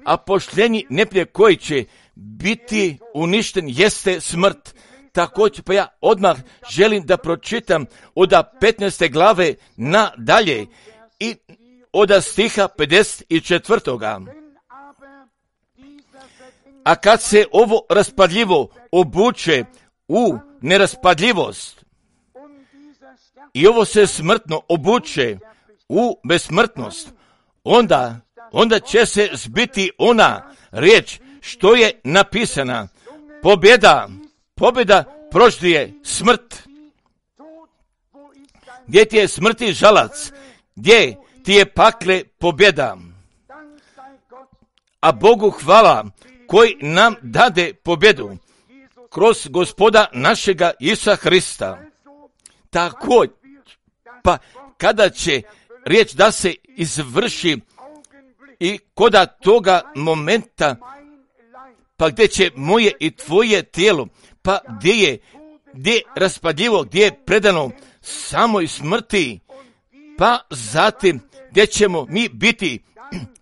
a pošljenji neplje koji će biti uništen jeste smrt. Također, pa ja odmah želim da pročitam od petnaeste glave nadalje i od stiha pedeset četvrtoga. A kad se ovo raspadljivo obuče u neraspadljivost i ovo se smrtno obuče u besmrtnost, onda, onda će se zbiti ona riječ što je napisana. Pobjeda, pobjeda proždije smrt. Gdje ti je smrti žalac, gdje ti je pakle pobjeda. A Bogu hvala koji nam dade pobjedu kroz Gospoda našega Isusa Hrista. Tako, pa kada će riječ da se izvrši i koda toga momenta, pa gdje će moje i tvoje tijelo, pa gdje je, gdje je raspadljivo, gdje je predano samoj smrti, pa zatim gdje ćemo mi biti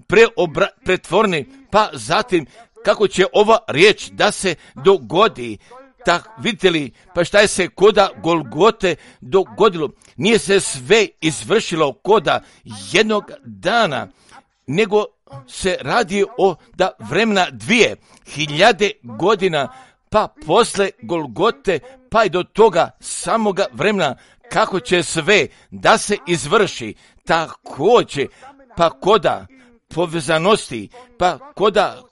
preobra, pretvorni, pa zatim kako će ova riječ da se dogodi. Tak, vidite li, pa šta je se koda Golgote dogodilo? Nije se sve izvršilo koda jednog dana, nego se radi o da vremena dvije hiljade godina, pa posle Golgote, pa i do toga samoga vremena, kako će sve da se izvrši. Također, pa koda povezanosti, pa koda,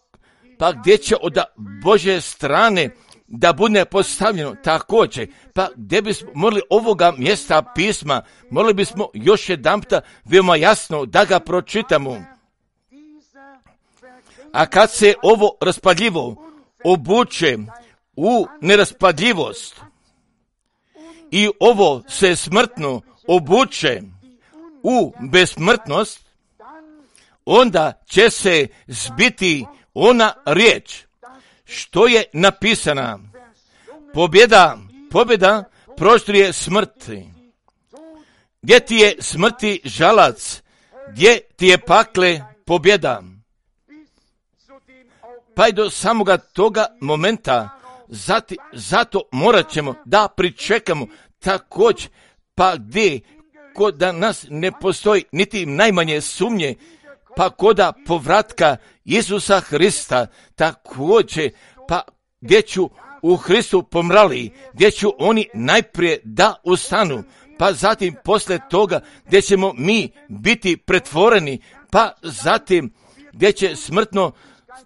pa gdje će od Božje strane da bude postavljeno također, pa gdje bismo morali ovoga mjesta pisma, morali bismo još jedanputa veoma jasno da ga pročitamo. A kad se ovo raspadljivo obuče u neraspadljivost i ovo se smrtno obuče u besmrtnost, onda će se zbiti ona riječ što je napisana. Pobjeda, pobjeda proštrije smrti. Gdje ti je smrti žalac, gdje ti je pakle pobjeda. Pa i do samoga toga momenta, zati, zato morat ćemo da pričekamo također, pa gdje kod da nas ne postoji niti najmanje sumnje, pa koda povratka Isusa Hrista, također, pa gdje ću u Hristu pomrali, gdje ću oni najprije da ustanu, pa zatim posle toga gdje ćemo mi biti pretvoreni, pa zatim gdje će smrtno,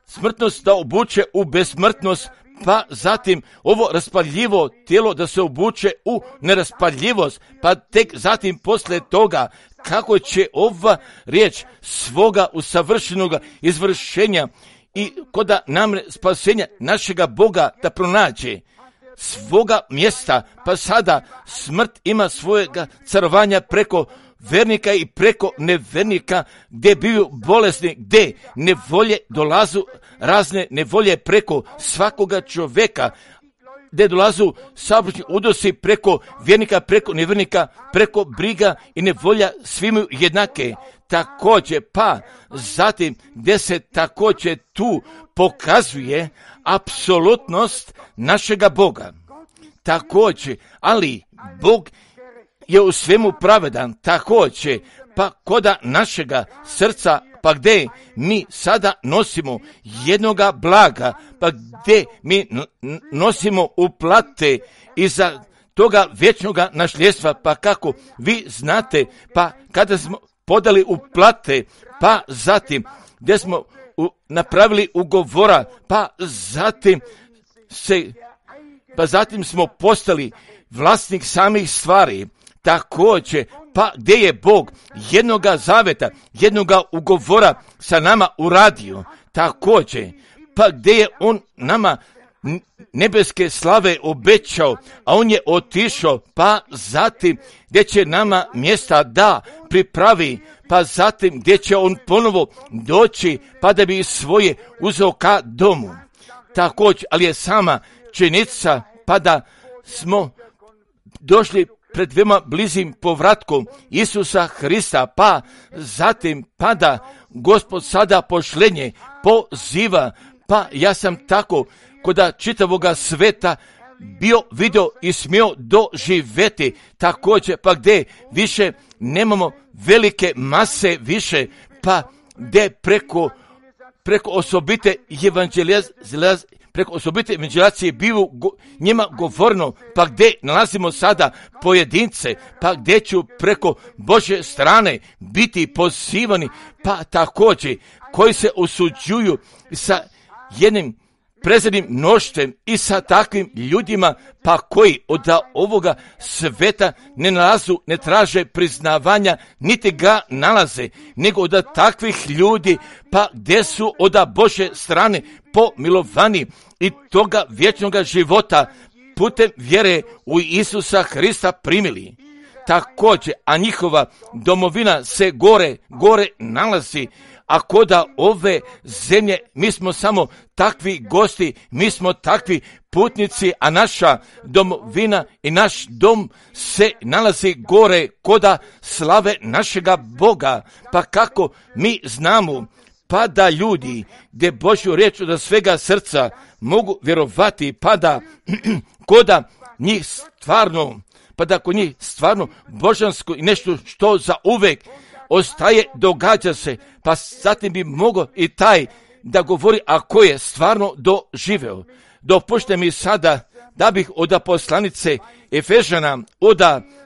smrtnost da obuče u besmrtnost, pa zatim ovo raspadljivo tijelo da se obuče u neraspadljivost, pa tek zatim posle toga kako će ova riječ svoga usavršenoga izvršenja i koda nam spasenja našega Boga da pronađe svoga mjesta, pa sada smrt ima svojega carovanja preko vernika i preko nevernika, gdje biju bolesni, gdje nevolje dolazu, razne nevolje preko svakoga čovjeka, gdje dolazu saobraćajni udosi preko vjernika, preko nevernika, preko briga i nevolja svima jednake. također, pa zatim gdje se također tu pokazuje apsolutnost našega Boga. Također, ali Bog je u svemu pravedan, također, pa koda našega srca, pa gdje mi sada nosimo jednoga blaga, pa gdje mi nosimo uplate iza toga vječnoga nasljedstva, pa kako vi znate, pa kada smo podali uplate, pa zatim gdje smo u, napravili ugovora, pa zatim se, pa zatim smo postali vlasnik samih stvari, također, pa gdje je Bog jednoga zaveta, jednoga ugovora sa nama uradio, također, pa gdje je On nama nebeske slave obećao, a On je otišao, pa zatim gdje će nama mjesta da pripravi, pa zatim gdje će On ponovo doći, pa da bi svoje uzeo ka domu. Također, ali je sama činjenica, pa da smo došli pred veoma blizim povratkom Isusa Hrista, pa zatim pada Gospod sada pošlenje poziva, pa ja sam tako koda čitavoga sveta bio, video i smio doživjeti, također pa gdje više nemamo velike mase više, pa gdje preko, preko osobite evangelizacije preko osobite evangelizacije bio go, njima govorno, pa gdje nalazimo sada pojedince, pa gdje ću preko Božje strane biti pozivani, pa također koji se osuđuju sa jednim prezrenim mnoštvom i sa takvim ljudima, pa koji od ovoga sveta ne nalazu, ne traže priznavanja, niti ga nalaze, nego od takvih ljudi, pa gdje su od Božje strane pomilovani i toga vječnoga života putem vjere u Isusa Hrista primili. Također, a njihova domovina se gore, gore nalazi, a koda ove zemlje mi smo samo takvi gosti, mi smo takvi putnici, a naša domovina i naš dom se nalazi gore koda slave našega Boga. Pa kako mi znamo, pa da ljudi gdje Božju riječ od svega srca mogu vjerovati, pa da koda njih stvarno, pa da kod njih stvarno božansko i nešto što za uvek ostaje, događa se, pa zatim bi mogao i taj da govori, a ko je stvarno doživeo. Dopušte mi sada da bih od poslanice Efežana, od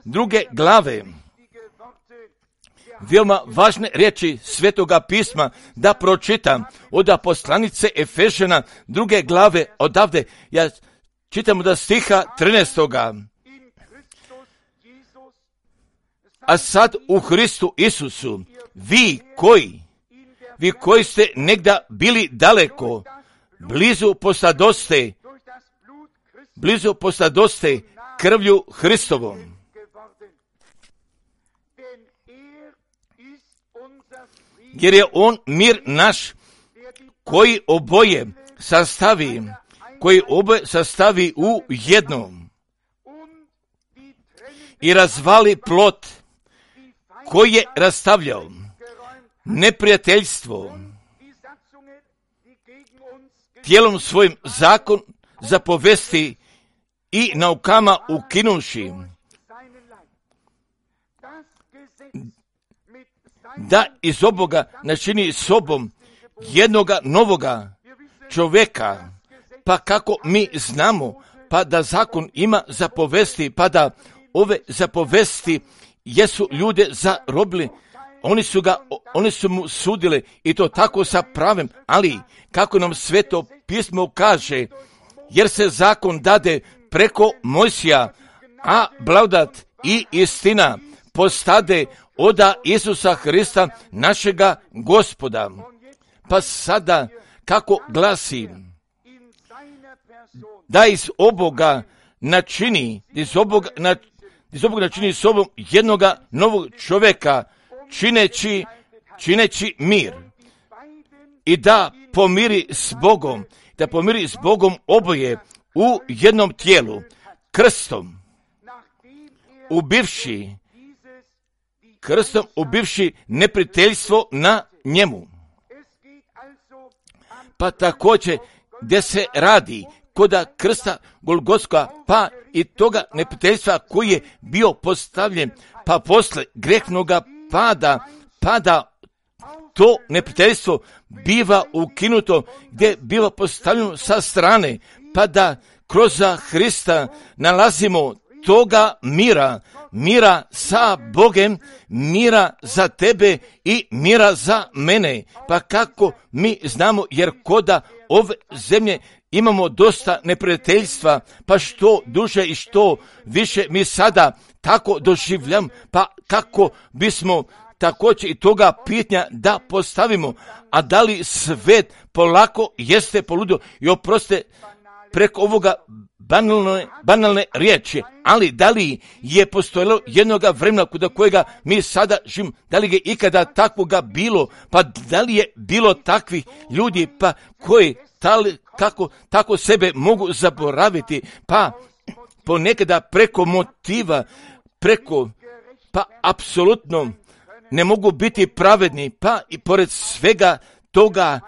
druge glave, veoma važne riječi Svetoga pisma da pročitam od poslanice Efežana, druge glave, odavde, ja čitam od stiha trinaestoga. A sad u Hristu Isusu, vi koji, vi koji ste negda bili daleko, blizu postadoste, blizu postadoste krvlju Hristovom. Jer je On mir naš, koji oboje sastavi, koji oboje sastavi u jednom i razvali plot koji je rastavljao neprijateljstvo tijelom svojim zakon zapovesti i naukama ukinuši, da iz oboga načini sobom jednoga novoga čovjeka, pa kako mi znamo, pa da zakon ima zapovesti, pa da ove zapovesti jesu ljude zarobili, oni su ga, oni su mu sudili i to tako sa pravem, ali kako nam Sveto pismo kaže, jer se zakon dade preko Mojsija, a blagodat i istina postade oda Isusa Hrista našega Gospoda. Pa sada kako glasi, da iz oboga načini, iz oboga, na, iz oboga načini sobom jednoga novog čovjeka, čineći, čineći mir i da pomiri s Bogom, da pomiri s Bogom oboje u jednom tijelu, krstom, ubivši krstom ubivši neprijateljstvo na njemu. Pa također gdje se radi koda krsta Golgotska, pa i toga neprijateljstva koji je bio postavljen, pa posle grehnoga pada, pada to neprijateljstvo biva ukinuto, gdje biva postavljeno sa strane, pa da kroz Hrista nalazimo toga mira, mira sa Bogem, mira za tebe i mira za mene. Pa kako mi znamo, jer koda ove zemlje imamo dosta neprijateljstva, pa što duže i što više mi sada tako doživljam, pa kako bismo također i toga pitanja da postavimo, a da li svet polako jeste poludio i oproste preko ovoga banalne, banalne riječi, ali da li je postojalo jednoga vremena kod kojega mi sada živimo, da li je ikada takvoga bilo, pa da li je bilo takvih ljudi, pa koji tali, kako, tako sebe mogu zaboraviti, pa ponekada preko motiva, preko, pa apsolutno ne mogu biti pravedni, pa i pored svega toga,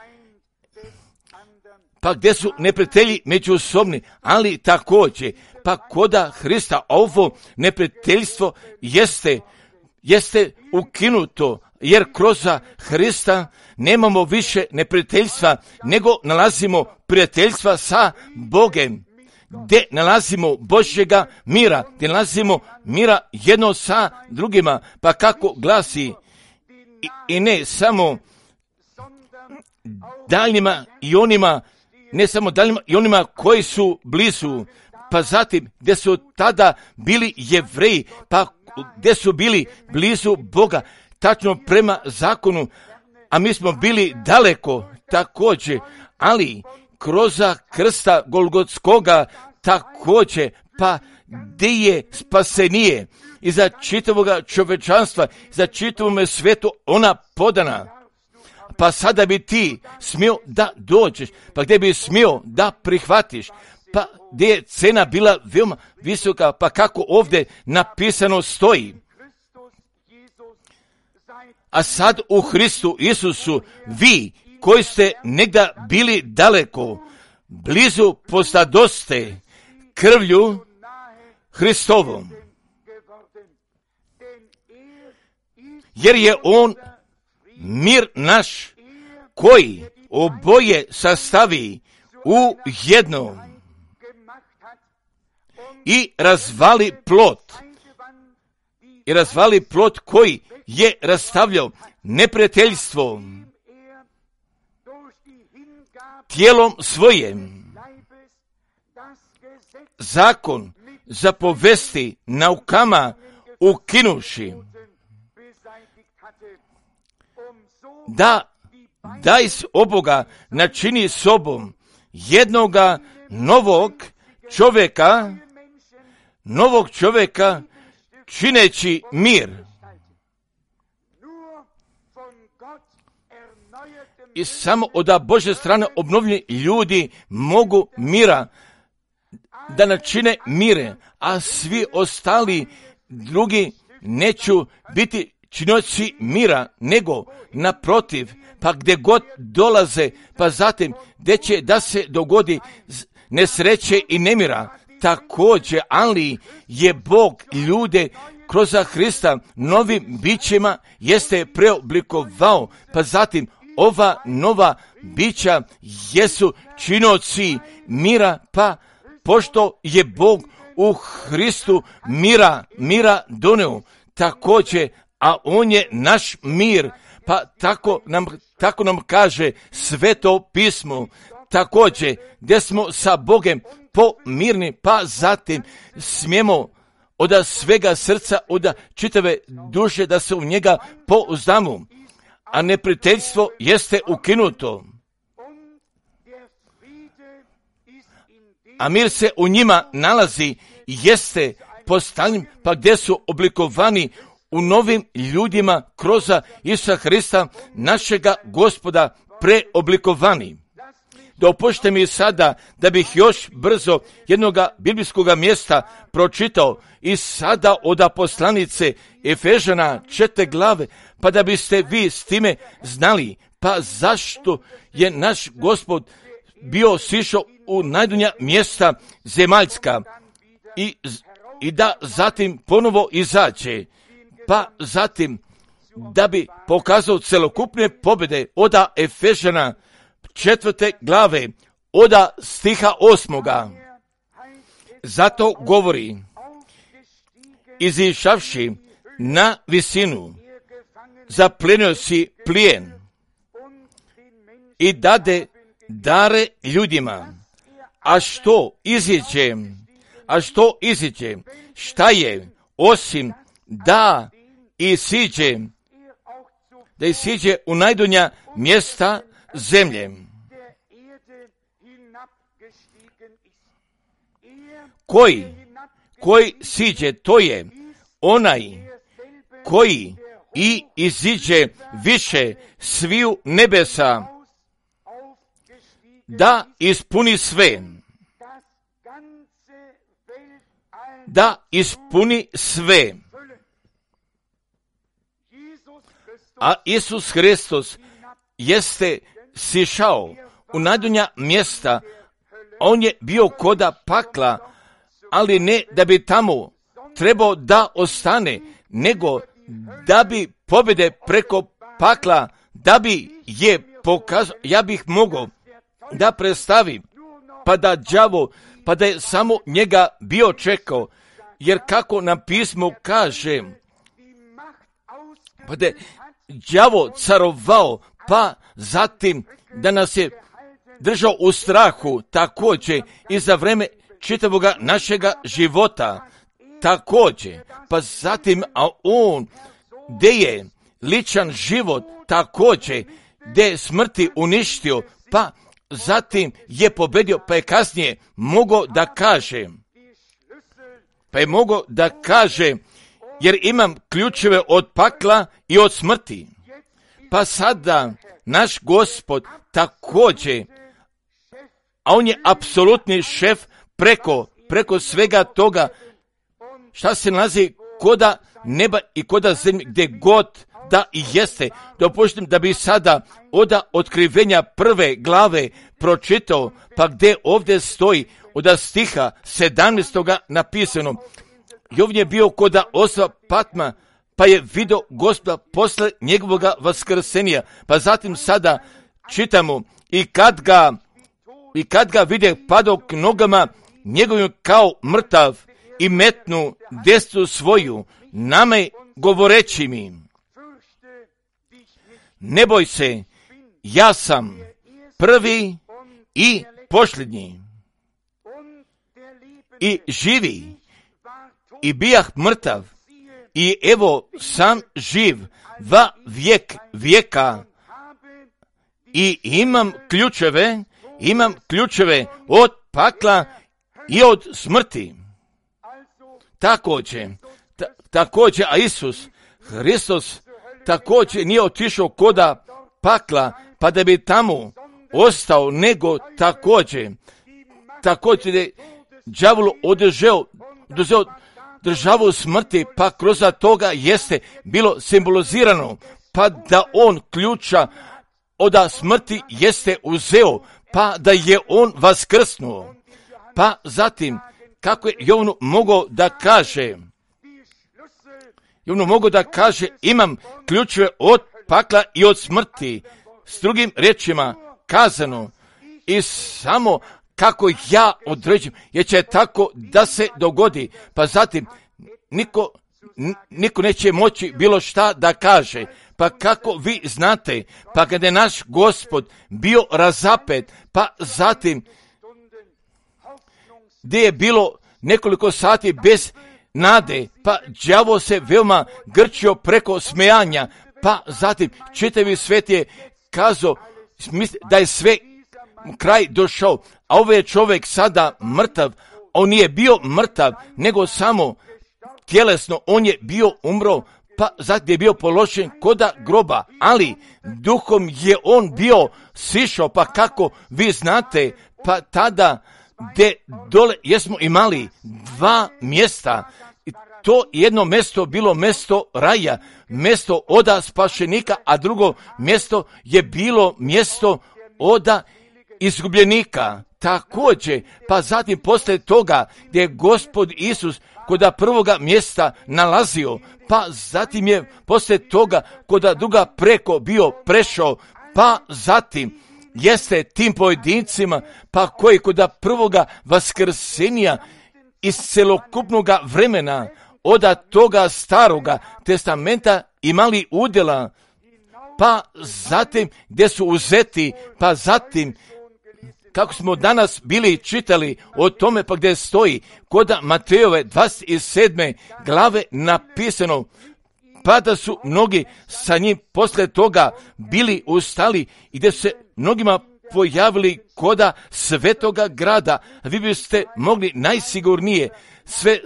pa gdje su neprijatelji međusobni, ali također, pa koda Hrista ovo neprijateljstvo jeste, jeste ukinuto, jer kroz Hrista nemamo više neprijateljstva, nego nalazimo prijateljstva sa Bogem, gdje nalazimo Božjega mira, gdje nalazimo mira jedno sa drugima, pa kako glasi, i, i ne samo daljnjima i onima, ne samo daljnjima i onima koji su blizu, pa zatim gdje su tada bili Jevreji, pa gdje su bili blizu Boga, tačno prema zakonu, a mi smo bili daleko također, ali kroz krsta Golgotskoga također, pa gdje je spasenije i za čitavoga čovečanstva, za čitavome svetu ona podana. Pa sada bi ti smio da dođeš, pa gdje bi smio da prihvatiš, pa gdje je cena bila veoma visoka, pa kako ovdje napisano stoji. A sad u Hristu Isusu vi koji ste negda bili daleko, blizu postadoste krvlju Hristovom. Jer je on mir naš koji oboje sastavi u jedno i razvali plot. I razvali plot koji je rastavljao neprijateljstvo tijelom svojim. Zakon zapovesti naukama ukinuši, da daj s oboga načini sobom jednoga novog čovjeka, novog čovjeka čineći mir. I samo od Božje strane obnovljeni ljudi mogu mira da načine mire, a svi ostali drugi neću biti činioci mira, nego naprotiv, pa gdje god dolaze, pa zatim gdje će da se dogodi nesreće i nemira, također, ali je Bog ljude kroz Hrista novim bićima jeste preoblikovao, pa zatim ova nova bića jesu činoci mira, pa pošto je Bog u Hristu mira, mira doneo, također, a on je naš mir, pa tako nam, tako nam kaže Sveto pismo, također, gdje smo sa Bogem pomirni, pa zatim smijemo od svega srca, od čitave duše da se u njega pouzdamo, a neprijateljstvo jeste ukinuto. A mir se u njima nalazi i jeste postavljen, pa gdje su oblikovani u novim ljudima kroz Isusa Hrista, našega Gospoda, preoblikovani. Dopušte mi sada da bih još brzo jednoga biblijskog mjesta pročitao i sada od poslanice Efežana četvrte glave, pa da biste vi s time znali, pa zašto je naš Gospod bio sišao u najdunja mjesta zemaljska i, i da zatim ponovo izađe, pa zatim da bi pokazao celokupne pobjede oda Efežana četvrte glave, oda stiha osmoga. Zato govori, izišavši na visinu, zaplenio si plijen i dade dare ljudima. A što iziđe, a što iziđe, šta je, osim da i siđe, da i siđe u najdonja mjesta zemlje. Koji, koji siđe, to je onaj koji i iziđe više sviju nebesa, da ispuni sve, da ispuni sve. A Isus Hristos jeste sišao u najdonja mjesta, on je bio koda pakla, ali ne da bi tamo trebao da ostane, nego da bi pobjede preko pakla, da bi je pokazao, ja bih mogao da predstavi, pa da đavo, pa da je samo njega bio čekao, jer kako nam pismo kaže, pa da je đavo carovao, pa zatim da nas je držao u strahu također i za vreme čitavoga našega života također, pa zatim, a on gdje je ličan život također, gdje je smrti uništio, pa zatim je pobedio, pa je kasnije mogao da kaže, pa je mogao da kaže, jer imam ključeve od pakla i od smrti. Pa sada naš Gospod također, a on je apsolutni šef preko, preko svega toga, šta se nalazi koda neba i koda zemlje, gdje god da i jeste. Dopuštim da bi sada oda otkrivenja prve glave pročitao, pa gdje ovdje stoji oda stiha sedamnaestoga napisano. I ovdje je bio koda osa Patma, pa je vidio Gospoda posle njegovoga vaskrsenja. Pa zatim sada čitamo, i kad ga, i kad ga vide padao k nogama njegovim kao mrtav i metnu desnu svoju, name govoreći mi, ne boj se, ja sam prvi i posljednji i živi i bijah mrtav i evo sam živ va vijek vijeka i imam ključeve, imam ključeve od pakla i od smrti. Također, ta, također, a Isus Hristos također nije otišao koda pakla, pa da bi tamo ostao, nego također, također je đavolu održao, održao državu smrti, pa kroz toga jeste bilo simbolizirano, pa da on ključa od smrti jeste uzeo, pa da je on vaskrsnuo. Pa zatim, kako je Jovan mogao da kaže, Jovan mogao da kaže, imam ključeve od pakla i od smrti, s drugim riječima kazano, i samo kako ja određujem, jer će tako da se dogodi, pa zatim niko, niko neće moći bilo šta da kaže. Pa kako vi znate, pa kada je naš Gospod bio razapet, pa zatim gdje je bilo nekoliko sati bez nade, pa đavo se veoma grčio preko smejanja, pa zatim čitavi svet je kazao da je sve kraj došao, a ovaj je čovjek sada mrtav. On nije bio mrtav, nego samo tjelesno, on je bio umro, pa zatim je bio položen koda groba, ali duhom je on bio sišao, pa kako vi znate, pa tada gdje dole jesmo imali dva mjesta. To jedno mjesto bilo mjesto raja, mjesto oda spašenika, a drugo mjesto je bilo mjesto oda izgubljenika. Također, pa zatim poslije toga gdje je Gospod Isus koda prvoga mjesta nalazio, pa zatim je poslije toga koda druga preko bio prešao, pa zatim jeste tim pojedincima, pa koji koda prvoga vaskrsenja iz celokupnoga vremena, oda toga staroga testamenta imali udjela, pa zatim gdje su uzeti, pa zatim kako smo danas bili čitali o tome, pa gdje stoji koda Matejove dvadeset sedme glave napisano, pa da su mnogi sa njim poslije toga bili ustali i gdje se mnogima pojavili koda svetoga grada. Vi biste mogli najsigurnije sve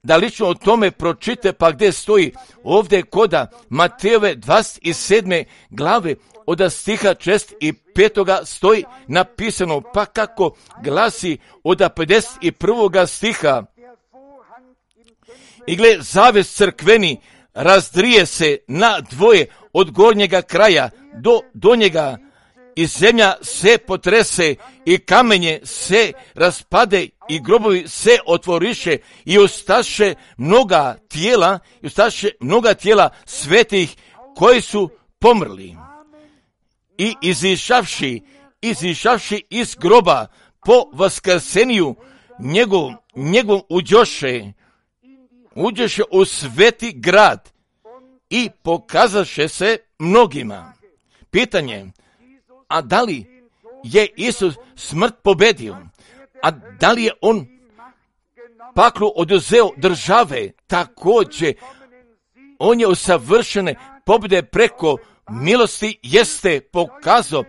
da lično o tome pročite, pa gdje stoji ovdje koda Matejove dvadeset sedme glave od stiha šest i petoga stoji napisano, pa kako glasi od pedeset prvoga stiha. I gle, zaves crkveni razdrije se na dvoje od gornjega kraja do donjega, i zemlja se potrese i kamenje se raspade i grobovi se otvoriše i ustaše mnoga tijela, i ustaše mnoga tijela svetih koji su pomrli. I izišavši, izišavši iz groba po vaskrseniju njegov, njegov uđoše, uđoše u sveti grad i pokazaše se mnogima. Pitanje, a da li je Isus smrt pobedio? A da li je on paklu oduzeo države? Također, on je u savršene pobjede preko milosti jeste pokazao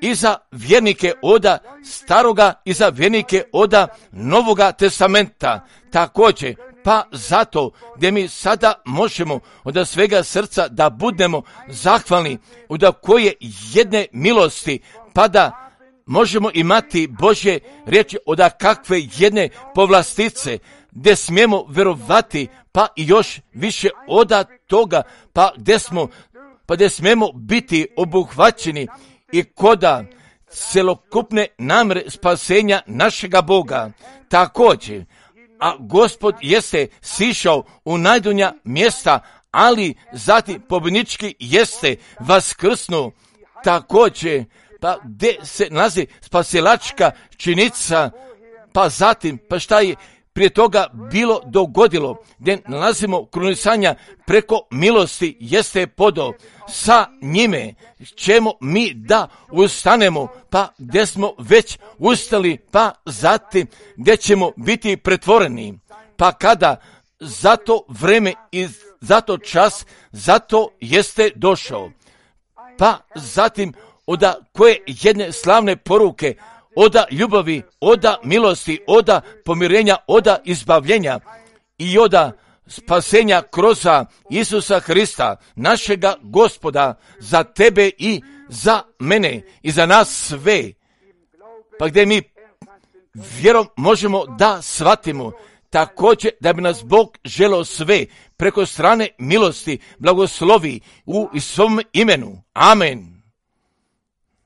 i za vjernike oda staroga i za vjernike oda novoga testamenta. Također, pa zato gdje mi sada možemo od svega srca da budemo zahvalni od koje jedne milosti, pa da možemo imati Božje riječi od kakve jedne povlastice, gdje smijemo vjerovati, pa i još više od toga, pa gdje smo, pa gdje smijemo biti obuhvaćeni i koda celokupne namjere spasenja našega Boga. Također, a Gospod jeste sišao u najdonja mjesta, ali zatim pobjednički jeste vaskrsnuo. Također, pa gdje se nalazi spasilačka činica, pa zatim, pa šta je prije toga bilo dogodilo, gdje nalazimo krunisanja preko milosti jeste podao. Sa njime ćemo mi da ustanemo, pa gdje smo već ustali, pa zatim gdje ćemo biti pretvoreni. Pa kada zato vreme i zato čas, zato jeste došao. Pa zatim oda koje jedne slavne poruke, oda ljubavi, oda milosti, oda pomirenja, oda izbavljenja i oda spasenja kroz Isusa Hrista, našega Gospoda, za tebe i za mene i za nas sve. Pa gdje mi vjerom možemo da shvatimo također da bi nas Bog želeo sve preko strane milosti blagoslovi u svom imenu. Amen.